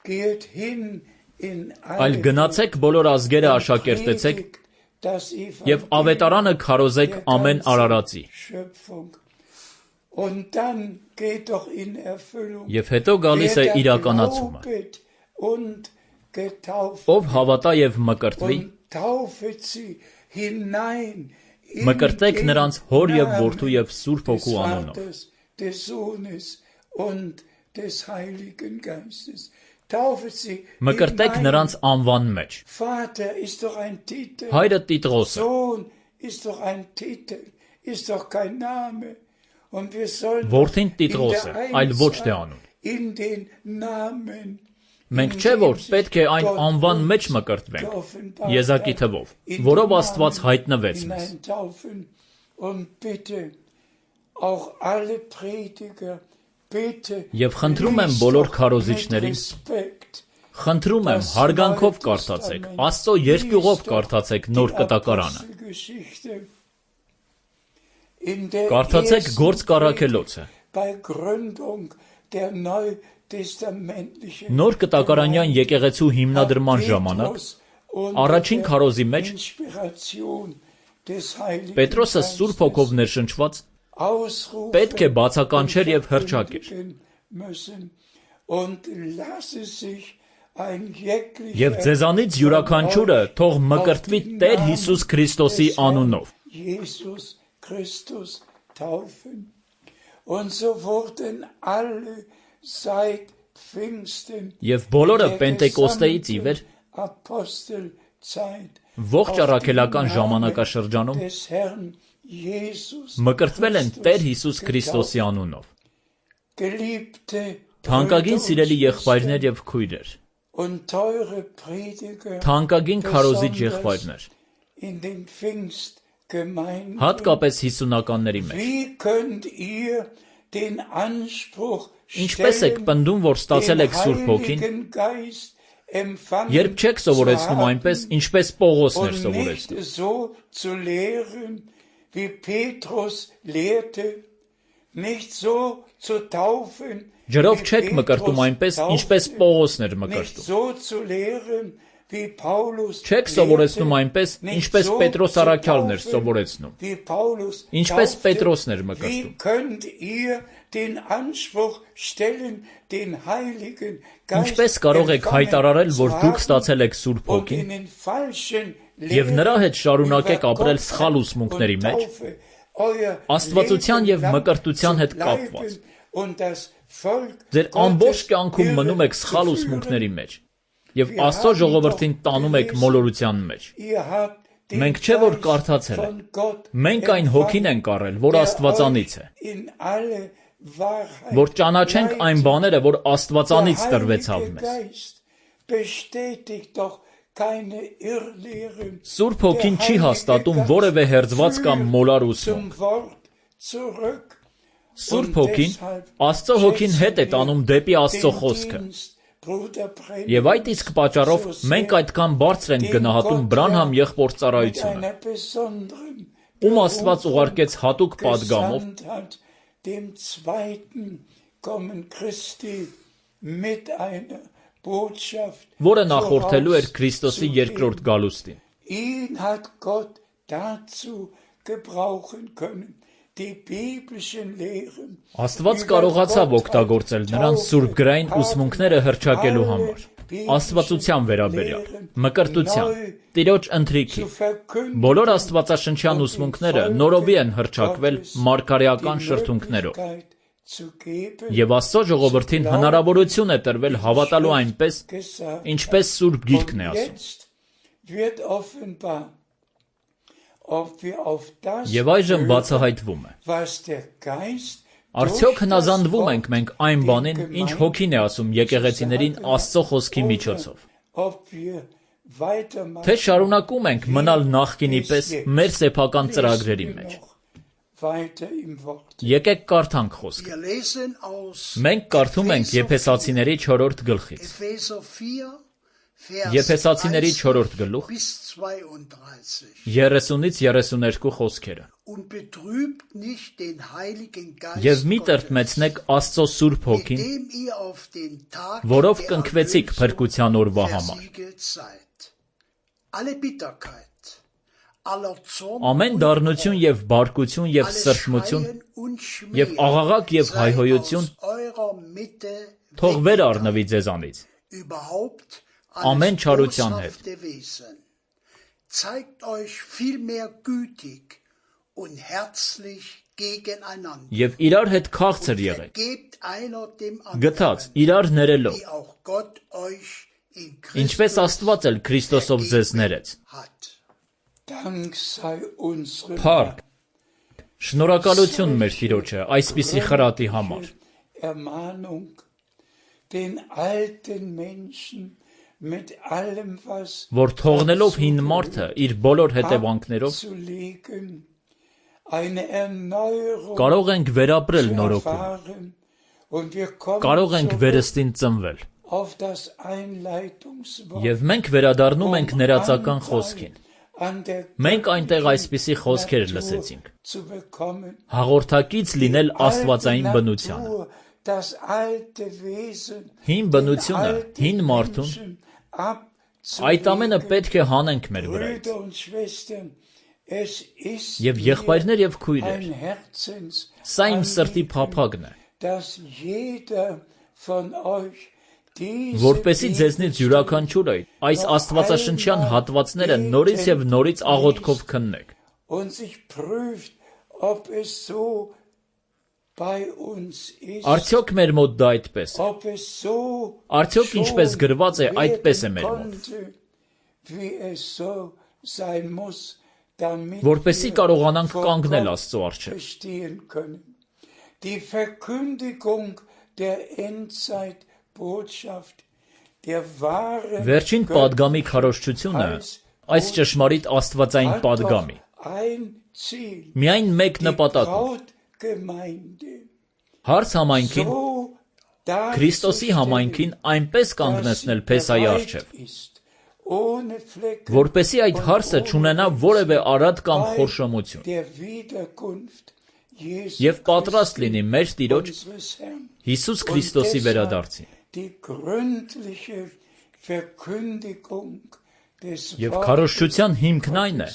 geht hin in այլ alle գնացեք բոլոր ազգերը und աշակերտեցեք predigt das եւ ավետարանը քարոզեք der ամեն ganzen արարածի։ Schöpfung. Und dann geht doch in Erfüllung, Եվ հետո գալիս է wer da իրականացումը, glaubet und getauft ով հավատա եւ մկրտվի, und taufet sie hinein in մկրտեք den նրանց հոր եւ Namen որդու եւ Սուրբ des Հոգու անունով։ Vaters, des Sohnes und des Heiligen Geistes. Taufet sie Մկրտեք hinein. նրանց անվան մեջ։ Vater ist doch ein Titel. Հայրը Տիտրոս է, Sohn ist doch ein Titel, ist doch kein Name. Und wir sollen Որդին in Տիտրոս է, der այլ ոչ թե Einzahl անուն։ in den Namen, Մենք չէ որ պետք է այն անվան մեջ մկրտվենք, Եզակի թվով, որով Աստված հայտնվեց մեզ։ hineintaufen. Und bitte auch alle Prediger, bitte Եվ խնդրում եմ բոլոր քարոզիչներին, Respekt. խնդրում եմ հարգանքով կարդացեք, Աստծո երկյուղով կարդացեք նոր կտակարանը։ Apostelgeschichte. In der Կարդացեք ersten Գործ Կարաքելոցը, bei Gründung der neutestamentlichen Նոր կտակարանյան եկեղեցու հիմնադրման ժամանակ, առաջին քարոզի մեջ Պետրոսը Սուրբ Հոգով ներշնչված պետք է բացականչեր եւ հռչակեր։ Եվ ձեզանից յուրաքանչյուրը թող մկրտվի Տեր Հիսուս Քրիստոսի անունով։ Jesus Christus taufen. Und so wurden alle seit Pfingsten Եվ բոլորը der Պենտեկոստեից ի վեր gesamten Apostelzeit ողջ auf առաքելական den ժամանակաշրջանում Namen des Herrn Jesus մկրտվել են Christus Տեր Հիսուս Քրիստոսի getauft. անունով։ Geliebte Թանկագին Brüder սիրելի und եղբայրներ Schwestern եւ քույրեր, und teure Prediger, թանկագին քարոզիչ besonders եղբայրներ, in den Pfingstgemeinden, հատկապես հիսունականների մեջ։ wie könnt ihr den Anspruch Ինչպես եք stellen, պնդում, որ ստացել den եք Սուրբ Հոգին, Heiligen Geist empfangen երբ չեք սովորեցնում zu այնպես, haben ինչպես Պողոսն էր und սովորեցնում։ nicht so zu lehren, wie Petrus lehrte, nicht so zu taufen, Ջրով wie չեք մկրտում Petrus այնպես, taufte, ինչպես Պողոսն էր nicht մկրտում։ so zu lehren, wie Paulus Չեք lehrte, սովորեցնում այնպես, nicht ինչպես so Պետրոս zu առաքյալն էր taufen, սովորեցնում։ wie Paulus Ինչպես taufte. Պետրոսն էր Wie մկրտում։ könnt ihr den Anspruch stellen, den Heiligen Geist Ինչպես կարող եք հայտարարել, որ դուք ստացել եք Սուրբ und Հոգին, in den falschen եւ նրա հետ շարունակեք über ապրել Gott սխալ ուսմունքների und մեջ, Taufe euer Աստվածության Leben եւ lang մկրտության zu հետ կապված։ bleiben und das Volk Ձեր ամբողջ Gottes կյանքում մնում եք irre սխալ zu ուսմունքների führen. մեջ եւ Աստծո ժողովրդին տանում եք մոլորության մեջ։ Ihr habt den Մենք չէ որ Geist կարդացել von ենք։ Gott Մենք այն հոգին ենք առել, որ der Աստվածանից է, euch in alle Wahrheit որ ճանաչենք այն բաները, որ Աստվածանից Der տրվեցավ Heilige մեզ։ Geist bestätigt doch keine Irrlehren. Սուրբ Հոգին չի հաստատում որևէ հերձված կամ մոլար ուսմունք։ Zum Wort zurück. Սուրբ Հոգին Աստծո Հոգին հետ է տանում դեպի Աստծո խոսքը։ Եվ այդ իսկ պատճառով մենք այդքան բարձր ենք գնահատում Բրանհամ եղբոր ծառայությունը, ում Աստված ուղարկեց հատուկ պատգամով, dem zweiten Kommen Christi mit einer Botschaft որը նախորդելու էր Քրիստոսի երկրորդ գալուստին։ Ihn hat Gott dazu gebrauchen können, die biblischen Lehren Աստված կարողացավ օգտագործել նրան սուրբգրային ուսմունքները հռչակելու համար, աստվածության վերաբերյալ, մկրտության, Տիրոջ ընթրիքի։ Բոլոր աստվածաշնչյան ուսմունքները նորովի են հռչակվել մարգարեական շրթունքներով։ Եվ Աստծո ժողովրդին հնարավորություն է տրվել հավատալու այնպես, ինչպես Սուրբ Գիրքն է ասում։ Եվ այժմ բացահայտվում է։ Արդյոք հնազանդվում ենք մենք այն բանին, ինչ Հոգին է ասում եկեղեցիներին Աստծո խոսքի միջոցով։ Թե շարունակում ենք մնալ նախկինի պես մեր սեփական ծրագրերի մեջ։ Եկեք կարդանք խոսքը։ Wir lesen aus Մենք կարդում ենք Եփեսացիների 4-րդ գլխից։ Epheser 4, Եփեսացիների 4-րդ գլուխ 30-ից 32 խոսքերը։ Եվ մի տրտմեցնեք Աստծո Սուրբ Հոգին, որով կնքվեցիք փրկության օրվա համար։ Ամեն դառնություն եւ բարկություն եւ սրտմություն եւ աղաղակ եւ հայհոյություն թող վեր առնվի ձեզանից, ամեն չարության հետ։ Եվ իրար հետ քաղցր եղեք, գթած իրար ներելով, ինչպես Աստված էլ Քրիստոսով ձեզ ներեց։ Փառք, շնորհակալություն մեր Տիրոջը այսպիսի խրատի համար։ Որ թողնելով հին մարդը իր բոլոր հետևանքներով կարող ենք վերապրել նորոգում, կարող ենք վերստին ծնվել։ Եվ մենք վերադառնում ենք ներածական խոսքին։ Մենք այնտեղ այսպիսի խոսքեր լսեցինք. հաղորդակից լինել աստվածային բնությանը։ Հին բնությունը, հին մարդուն, այդ ամենը պետք է հանենք մեր վրայից։ Եվ եղբայրներ եւ քույրեր, սա իմ սրտի փափագն է, որպեսզի ձեզնից յուրաքանչյուրը այս աստվածաշնչյան հատվածները նորից եւ նորից աղոթքով քննեք։ Արդյոք մեր մոտ դա այդպես է։ Արդյոք ինչպես գրված է, այդպես է մեր մոտ։ Որպեսզի կարողանանք կանգնել Աստծո առջև։ Վերջին պատգամի քարոզչությունը, այս ճշմարիտ աստվածային պատգամի, միայն մեկ նպատակ ունի։ Հարց համայնքին, Քրիստոսի համայնքին այնպես կանգնեցնել Փեսայի առջև, որպեսզի այդ հարցը չունենա որևէ արատ կամ խորշոմություն, եւ պատրաստ լինի մեր Տիրոջ Հիսուս Քրիստոսի վերադարձին։ Եվ քարոզչության հիմքն այն է,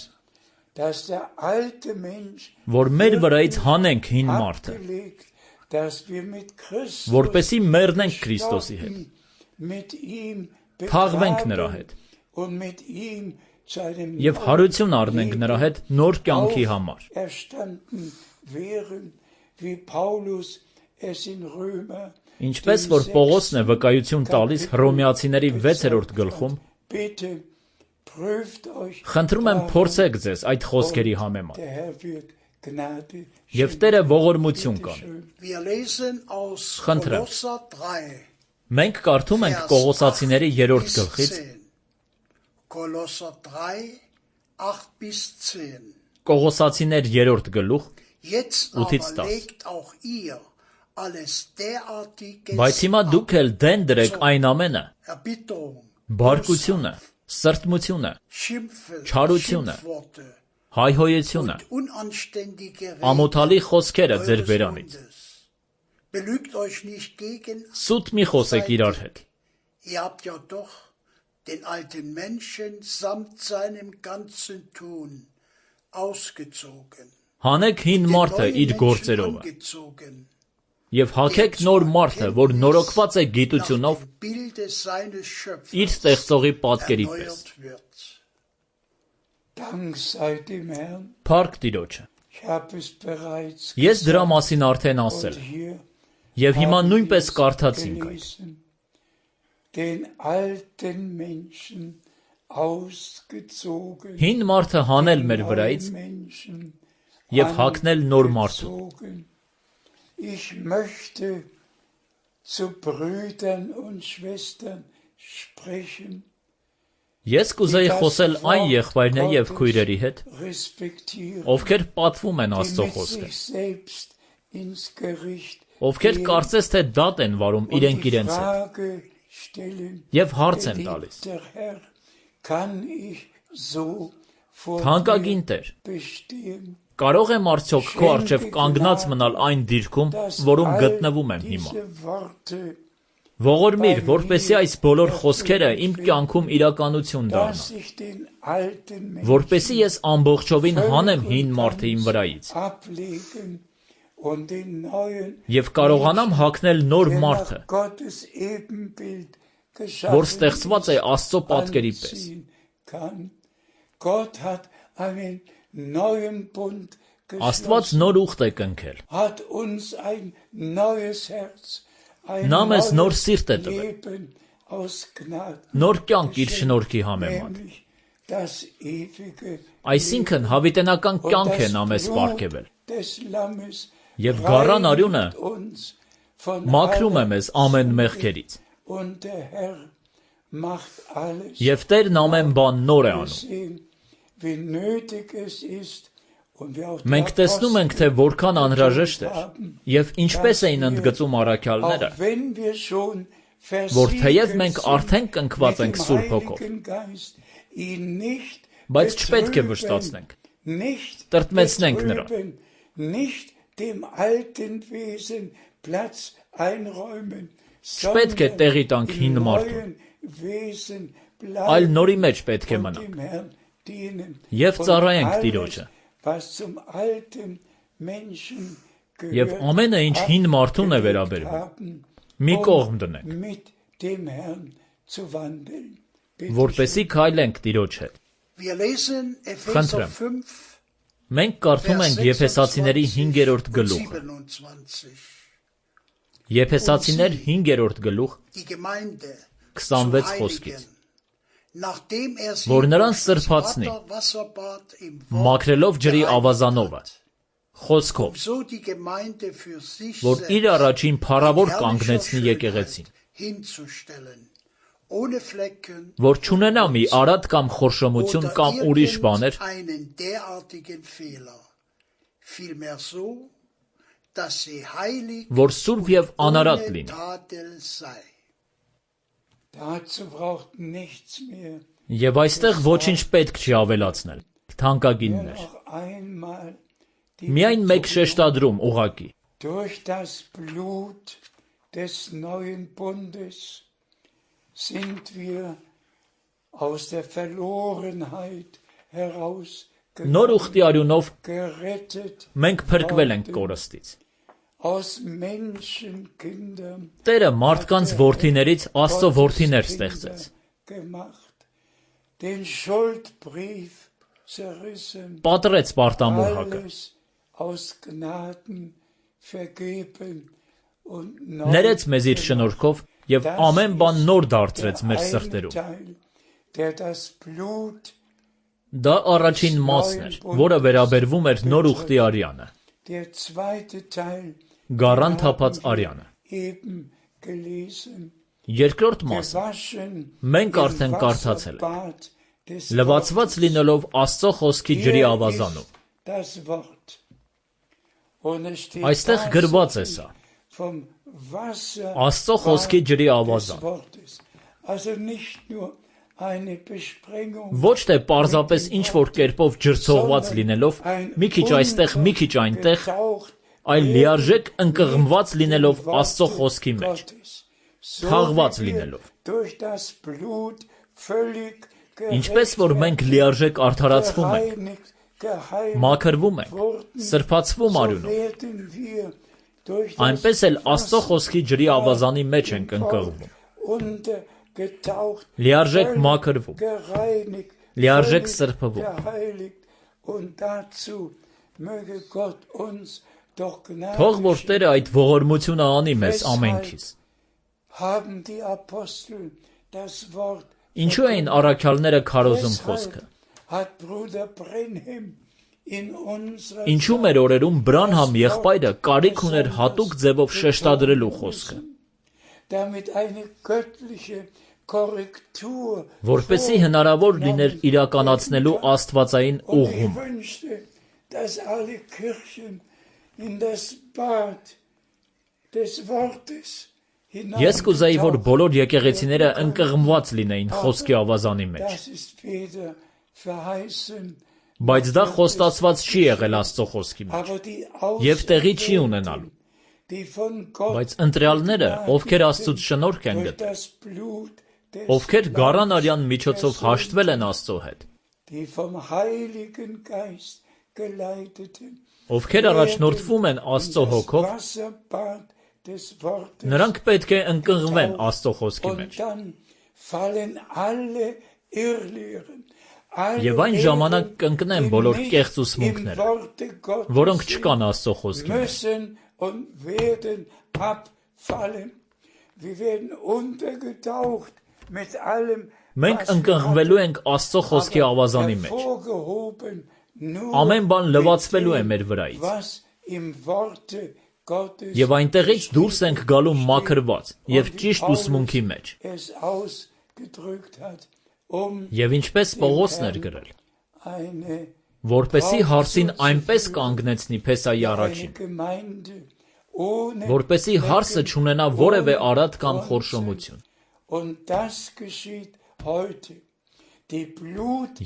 որ մեր վրայից հանենք հին մարդը, որպեսզի մեռնենք Քրիստոսի հետ, թաղվենք նրա հետ եւ հարություն առնենք նրա հետ նոր կյանքի համար։ Ինչպես որ Պողոսն է վկայություն տալիս Հռոմեացիների 6-րդ գլխում, խնդրում եմ փորձեք ձեզ այդ խոսքերի համեմատ, եւ Տերը ողորմություն կանի։ Խնդրեմ, մենք կարդում ենք Կողոսացիների 3-րդ գլխից, Կողոսացիներ 3-րդ գլուխ 8-ից 10։ Բայց հիմա դուք էլ դեն դրեք այն ամենը, բարկությունը, սրտմությունը, չարությունը, հայհոյությունը, ամոթալի խոսքերը ձեր բերանից։ Սուտ մի խոսեք իրար հետ։ Հանեք հին մարդը իր գործերովը եւ հագեք նոր մարդը, որ նորոգված է գիտությունով իր ստեղծողի պատկերի պես։ Փառք Տիրոջը։ Ես դրա մասին արդեն ասել եւ հիմա նույնպես կարդացինք այդ։ Հին մարդը հանել մեր վրայից եւ հագնել նոր մարդու։ Ich möchte zu Brüdern und Schwestern sprechen, Ես կուզեի խոսել այն եղբայրների եւ քույրերի հետ, ովքեր պատվում են Աստծո խոսքը, ովքեր կարծես թե դատ են վարում իրենք իրենց հետ, Եվ հարց եմ տալիս. Թանկագին Տեր, կարող եմ արդյոք քո առջև կանգնած մնալ այն դիրքում, որում գտնվում եմ հիմա։ Ողորմիր, որպեսզի այս բոլոր խոսքերը իմ կյանքում իրականություն դառնան, որպեսզի ես ամբողջովին հանեմ հին մարդը իմ վրայից և կարողանամ հագնել նոր մարդը, որ ստեղծված է Աստծո պատկերի պես։ Աստված նոր ուխտ է կնքել։ Նա մեզ նոր սիրտ է տվել, նոր կյանք իր շնորհքի համեմատ։ Այսինքն հավիտենական կյանք է նա մեզ պարգևել։ Եվ գառան արյունը մաքրում է մեզ ամեն մեղքերից։ Եվ Տերն ամեն բան նոր է անում։ Մենք տեսնում ենք, թե որքան անհրաժեշտ էր և ինչպես էին ընդգծում առաքյալները, որ թեև մենք արդեն կնքված ենք Սուրբ Հոգով, բայց չպետք է վշտացնենք, տրտմեցնենք նրան։ Չպետք է տեղի տանք հին մարդուն, այլ նորի մեջ պետք է մնանք և ծառայենք Տիրոջը։ Եվ ամենը, ինչ հին մարդուն է վերաբերվում, մի կողմ դնենք, որպեսզի քայլենք Տիրոջ հետ։ Խնդրեմ, մենք կարդում ենք Եփեսացիների 5-րդ գլուխը։ Եփեսացիներ 5-րդ գլուխ 26 խոսքից, որ նրան սրբացնի, մաքրելով ջրի ավազանովը, խոսքով, որ իր առաջին փառավոր կանգնեցնի եկեղեցին, որ չունենա մի արատ կամ խորշոմություն կամ ուրիշ բաներ, որ սուրբ և անարատ լինի։ Եվ այստեղ ոչինչ պետք չի ավելացնել, թանկագիններ։ Միայն մեկ շեշտադրում ուղղակի։ Նոր ուխտի արյունով մենք փրկվել ենք կորստից։ Տերը մարդկանց որդիներից Աստծո որդիներ ստեղծեց։ Պատռեց պարտամորհակը, ներեց մեզ իր շնորհքով և ամեն բան նոր դարձրեց մեր սրտերում։ Դա առաջին մասն էր, որը վերաբերվում էր նոր ուխտի արյանը, գառան թափած արյանը։ Երկրորդ մասը մենք արդեն կարդացել ենք, լվացված լինելով Աստծո խոսքի ջրի ավազանում։ Այստեղ գրված է սա. Աստծո խոսքի ջրի ավազան։ Ոչ թե պարզապես ինչ-որ կերպով ջրցողված լինելով, մի քիչ այստեղ, մի քիչ այնտեղ, այլ լիարժեք ընկղմված լինելով Աստծո խոսքի մեջ, թաղված լինելով։ Ինչպես որ մենք լիարժեք արդարացվում ենք, մաքրվում ենք, սրբացվում արյունով, այնպես էլ Աստծո խոսքի ջրի ավազանի մեջ ենք ընկղմվում, լիարժեք մաքրվում, լիարժեք սրբվում։ Թող որ Տերը այդ ողորմությունը անի մեզ ամենքից։ Ինչու էին առաքյալները քարոզում խոսքը։ Ինչու մեր օրերում Բրանհամ եղբայրը կարիք ուներ հատուկ ձևով շեշտադրելու խոսքը, որպեսզի հնարավոր լիներ իրականացնելու աստվածային ուղղումը։ Ես կուզեի, որ բոլոր եկեղեցիները ընկղմված լինեին խոսքի ավազանի մեջ։ Բայց դա խոստացված չի եղել Աստծո խոսքի մեջ, և տեղի չի ունենալու։ Բայց ընտրյալները, ովքեր Աստծուց շնորհք են գտել, ովքեր գառան արյան միջոցով հաշտվել են Աստծո հետ, ովքեր առաջնորդվում են Աստծո հոգով, նրանք պետք է ընկղմվեն Աստծո խոսքի մեջ։ Եվ այն ժամանակ կընկնեն բոլոր կեղծ ուսմունքները, որոնք չկան Աստծո խոսքի մեջ։ Մենք ընկղմվելու ենք Աստծո խոսքի ավազանի մեջ։ Ամեն բան լվացվելու է մեր վրայից։ Եվ այնտեղից դուրս ենք գալու մաքրված և ճիշտ ուսմունքի մեջ։ Եվ ինչպես Պողոսն էր գրել, որպեսզի հարսին այնպես կանգնեցնի Փեսայի առաջին, որպեսզի հարսը չունենա որևէ արատ կամ խորշոմություն։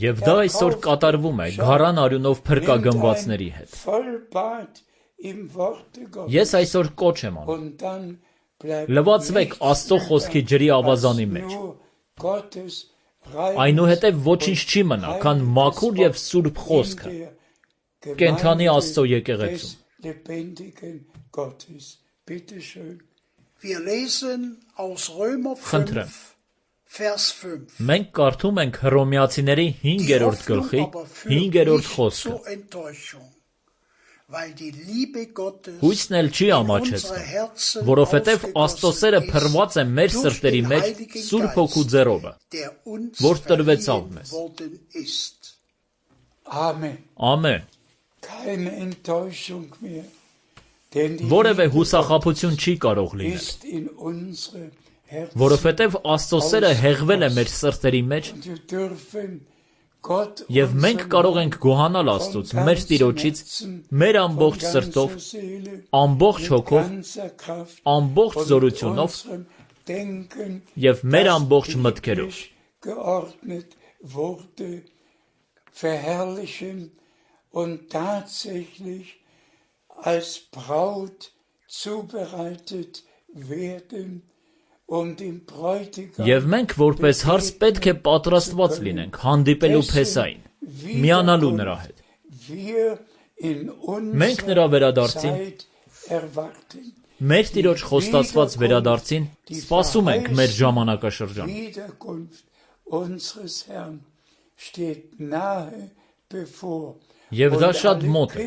Եվ դա այսօր կատարվում է գառան արյունով փրկագնվածների հետ։ Ես այսօր կոչ եմ անում. լվացվեք Աստծո խոսքի ջրի ավազանի մեջ։ Այնուհետև ոչինչ չի մնա, քան մաքուր և սուրբ խոսքը կենդանի Աստծո եկեղեցում։ Խնդրեմ, մենք կարդում ենք Հռոմեացիների 5-րդ գլխի 5-րդ խոսքը։ Հույսն էլ չի ամաչեցնում, որովհետև Աստծո սերը փռված է մեր սրտերի մեջ Սուրբ Հոգու ձեռովը, որ տրվեցավ մեզ։ Ամեն։ Որևէ հուսախաբություն չի կարող լինել, որովհետև Աստծո սերը հեղվել է մեր սրտերի մեջ, և մենք կարող ենք գոհանալ Աստծուց, մեր Տիրոջից, մեր ամբողջ սրտով, ամբողջ հոգով, ամբողջ զորությունով և մեր ամբողջ մտքերով։ Եվ մենք որպես հարս պետք է պատրաստված լինենք հանդիպելու Փեսային, միանալու նրա հետ։ Մենք նրա վերադարձին, մեր Տիրոջ խոստացված վերադարձին սպասում ենք մեր ժամանակաշրջանը։ Եվ դա շատ մոտ է,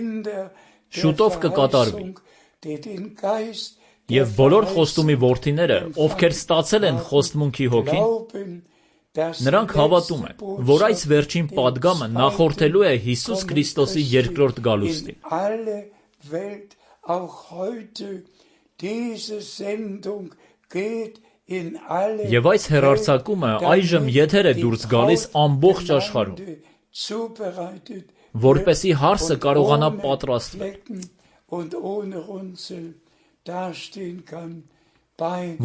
շուտով կկատարվի։ Եվ բոլոր խոստումի որդիները, ովքեր ստացել են խոստմունքի հոգին, նրանք հավատում են, որ այս վերջին պատգամը նախորդելու է Հիսուս Քրիստոսի երկրորդ գալուստին։ Եվ այս հեռարձակումը այժմ եթեր է դուրս գալիս ամբողջ աշխարհում, որպեսզի հարսը կարողանա պատրաստվել,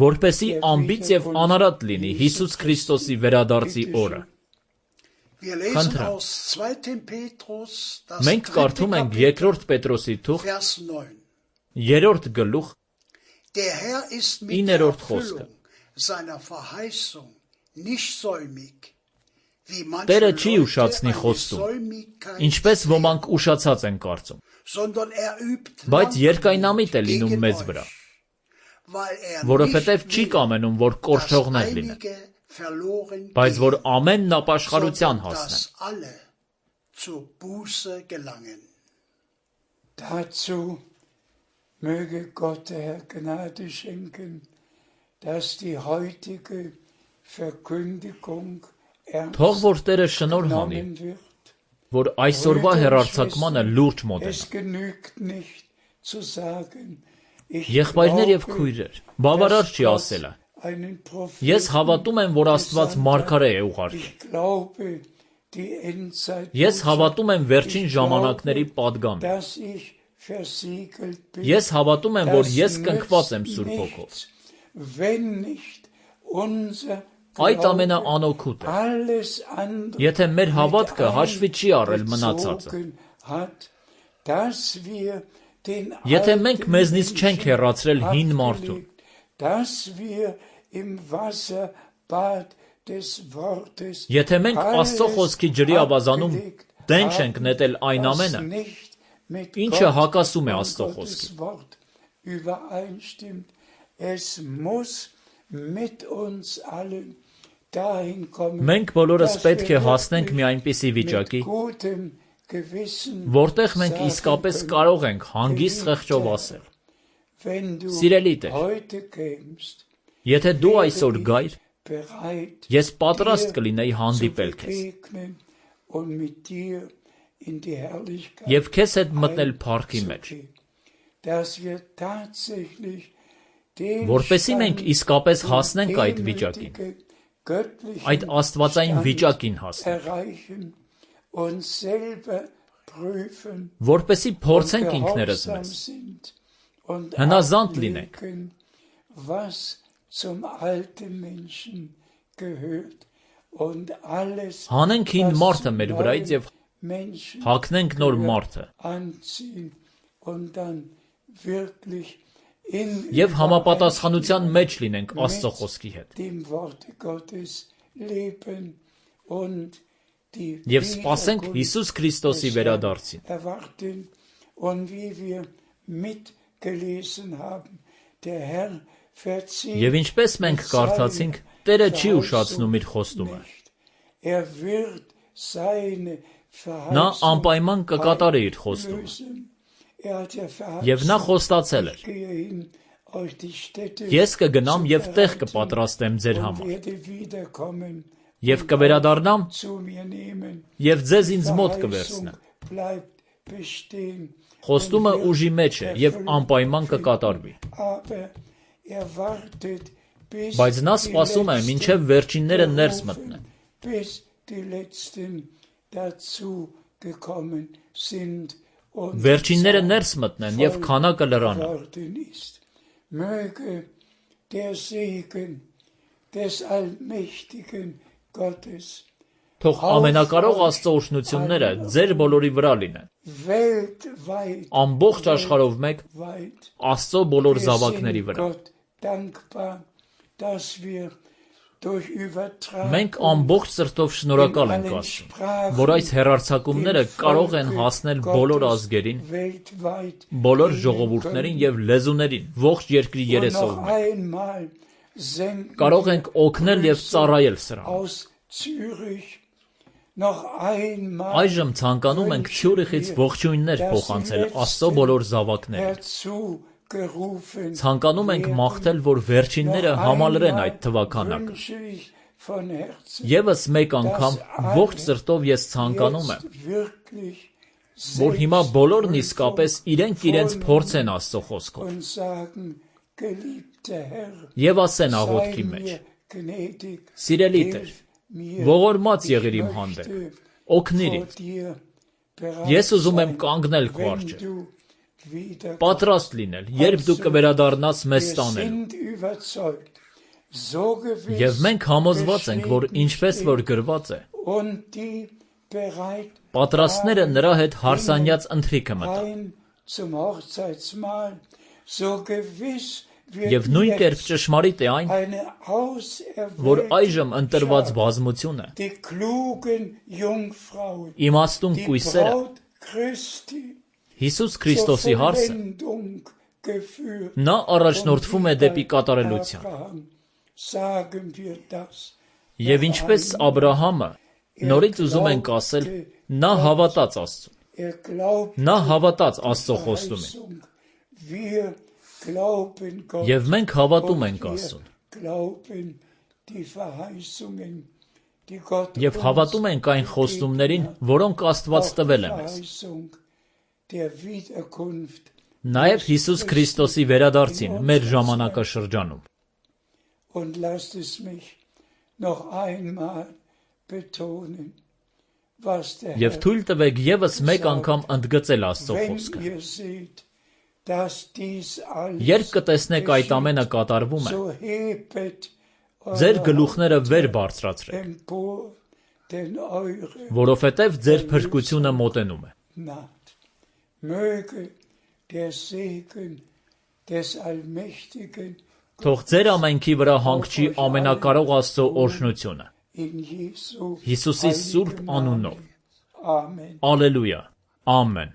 որպեսզի անբիծ և անարատ լինի Հիսուս Քրիստոսի վերադարձի օրը։ Խնդրեմ, մենք կարդում ենք երկրորդ Պետրոսի թուղթ 3-րդ գլուխ 9-րդ խոսքը։ Տերը չի ուշացնի խոստում, ինչպես ոմանք ուշացած են կարծում, բայց երկայնամիտ է լինում մեզ վրա, որովհետև չի կամենում, որ կորչողներ լինեն, բայց որ ամենն ապաշխարության հասնեն։ Möge Gott der Herr Gnade schenken, dass die heutige Verkündigung Թող որ Տերը շնորհ հանի, որ այսօրվա հեռարձակմանը լուրջ մոտենա։ Եղբայրներ և քույրեր, բավարար չի ասելը։ Ես հավատում եմ, որ Աստված մարգարե է ուղարկել։ Ես հավատում եմ վերջին ժամանակների պատգամին։ Ես հավատում եմ, որ ես կնքված եմ Սուրբ Հոգով։ wenn nicht unser Այդ ամենաանօգուտ է, alles andere եթե մեր հավատքը հաշվի չի առել մնացածը, bezogen hat, dass wir den եթե մենք alten մեզնից չենք Menschen հեռացրել հին մարդուն, abgelegt, dass wir im Wasserbad des Wortes եթե մենք Աստծո խոսքի ջրի ավազանում abgelegt դեն չենք haben, նետել այն was ամենը, nicht mit ինչը Gott հակասում է und Աստծո Gottes խոսքին, Wort übereinstimmt. Es muss mit uns allen dahin kommen, մենք բոլորս dass պետք է wir հասնենք մի wirklich այնպիսի mit վիճակի, gutem Gewissen որտեղ մենք sagen իսկապես können, կարող ենք հանգիստ խեղճով ասել. wenn du Սիրելի Տեր, heute kämst, եթե դու այսօր գայր, bereit, ես պատրաստ dir կլինեի zu հանդիպել քեզ begegnen und mit dir in die Herrlichkeit եւ քեզ հետ մտնել փառքի մեջ, einzugehen, dass wir tatsächlich den որպեսզի մենք Stand իսկապես und հասնենք այդ վիճակին, demütige, göttlichen այդ աստվածային Stand վիճակին հասնենք, erreichen und selber prüfen որպեսզի und փորձենք ինքներս gehorsam մեզ, sind und հնազանդ լինենք, ablegen, was zum alten Menschen gehört und alles, հանենք հին was մարդը zum մեր վրայից neuen եւ Menschen հագնենք նոր մարդը anziehen und dann wirklich in եւ համապատասխանության մեջ լինենք Աստծո խոսքի հետ dem Wort Gottes leben und die եւ սպասենք Հիսուս Քրիստոսի վերադարձին, erwarten und wie wir mitgelesen haben, der Herr verzieht եւ ինչպես մենք կարդացինք, Տերը չի ուշացնում իր խոստումը, er wird seine նա Verheißung անպայման կկատարի իր խոստումը, lösen. Er hat ja եւ նա verheißen, խոստացել էր. ich gehe hin, euch die Städte Ես կգնամ եւ տեղ zu կպատրաստեմ ձեր und համար, werde wiederkommen եւ կվերադառնամ zu mir nehmen. եւ ձեզ ինձ մոտ Verheißung կվերցնեմ. bleibt bestehen. Խոստումը ուժի մեջ է եւ անպայման կկատարվի, Aber er wartet bis բայց նա die սպասում է Letzten մինչեւ վերջինները ներս berufen, մտնեն, bis die Letzten dazu gekommen sind und վերջինները ներս մտնեն եւ քանակը լրանա. geworden ist. Möge der Segen des allmächtigen Gottes Թող ամենակարող Աստծո օրհնությունները ձեր բոլորի վրա լինեն, weltweit, ամբողջ աշխարհով մեկ weit. Աստծո բոլոր Wir զավակների sind վրա. Gott dankbar, dass wir durch Մենք Übertragung ամբողջ սրտով շնորհակալ ենք Աստծուն, որ այս հեռարձակումները կարող են հասնել բոլոր ազգերին, weltweit բոլոր ժողովուրդներին եւ լեզուներին, ողջ երկրի und noch երեսով։ einmal senden Կարող ենք օգնել եւ ծառայել սրան։ aus Zürich noch einmal Այժմ ցանկանում ենք Ցյուրիխից ողջույններ փոխանցել Աստծո բոլոր զավակներին։ herzugerufen Ցանկանում ենք մաղթել, որ վերջինները համալրեն այդ թվականակը։ wünsche ich von Herzen, Եվս մեկ անգամ ողջ սրտով ես ցանկանում եմ, jetzt wirklich որ հիմա բոլորն իսկապես իրենք փորձեն Աստծո խոսքով und sagen, geliebter Herr, եւ ասեն sei աղոթքի մեջ. mir gnädig, Սիրելի Տեր, hilf mir, ողորմած ich եղիր իմ հանդեպ, möchte օգնիր vor ինձ։ dir bereit Ես ուզում եմ sein, կանգնել քո wenn առջև, du wieder պատրաստ լինել, երբ դու կվերադառնաս մեզ Wir տանելու։ sind überzeugt, so gewiss Եվ մենք համոզված ենք, որ ինչպես որ գրված է, und die bereit պատրաստները նրա հետ հարսանյաց ընթրիքը մտան։ ein zum Hochzeitsmahl, so gewiss Եվ նույն կերպ ճշմարիտ է այն, eine որ auserwählte այժմ ընտրված բազմություն է, die klugen Jungfrauen, իմաստուն die կույսերը Braut Christi Հիսուս zur Քրիստոսի հարսը, Vollendung geführt. նա առաջնորդվում է դեպի կատարելության։ Abraham sagen wir das. Եվ ինչպես Աբրահամը, նորից ուզում ենք ասել, նա հավատաց Աստծուն, Er glaubt նա հավատաց Աստծո խոստումին, Verheißung. Wir glauben Gott. եւ մենք հավատում Und ենք wir Աստծուն, glauben die Verheißungen, die Gott եւ հավատում ենք այն խոստումներին, որոնք Աստված տվել է մեզ։ Verheißung der Wiederkunft. Նաեւ Հիսուս Քրիստոսի վերադարձին մեր ժամանակաշրջանում։ Und lasst es mich noch einmal betonen, was der Եվ Herr, թույլ տվեք եւս մեկ անգամ ընդգծել Աստծո wenn խոսքը։ ihr seht, Երբ կտեսնեք այդ ամենը կատարվում է, ձեր գլուխները վեր բարձրացրեք, որովհետև ձեր փրկությունը մոտենում է։ Թող ձեր ամենքի վրա հանգչի ամենակարող Աստծո օրհնությունը։ Հիսուսի սուրբ անունով։ Ալելույա։ Ամեն։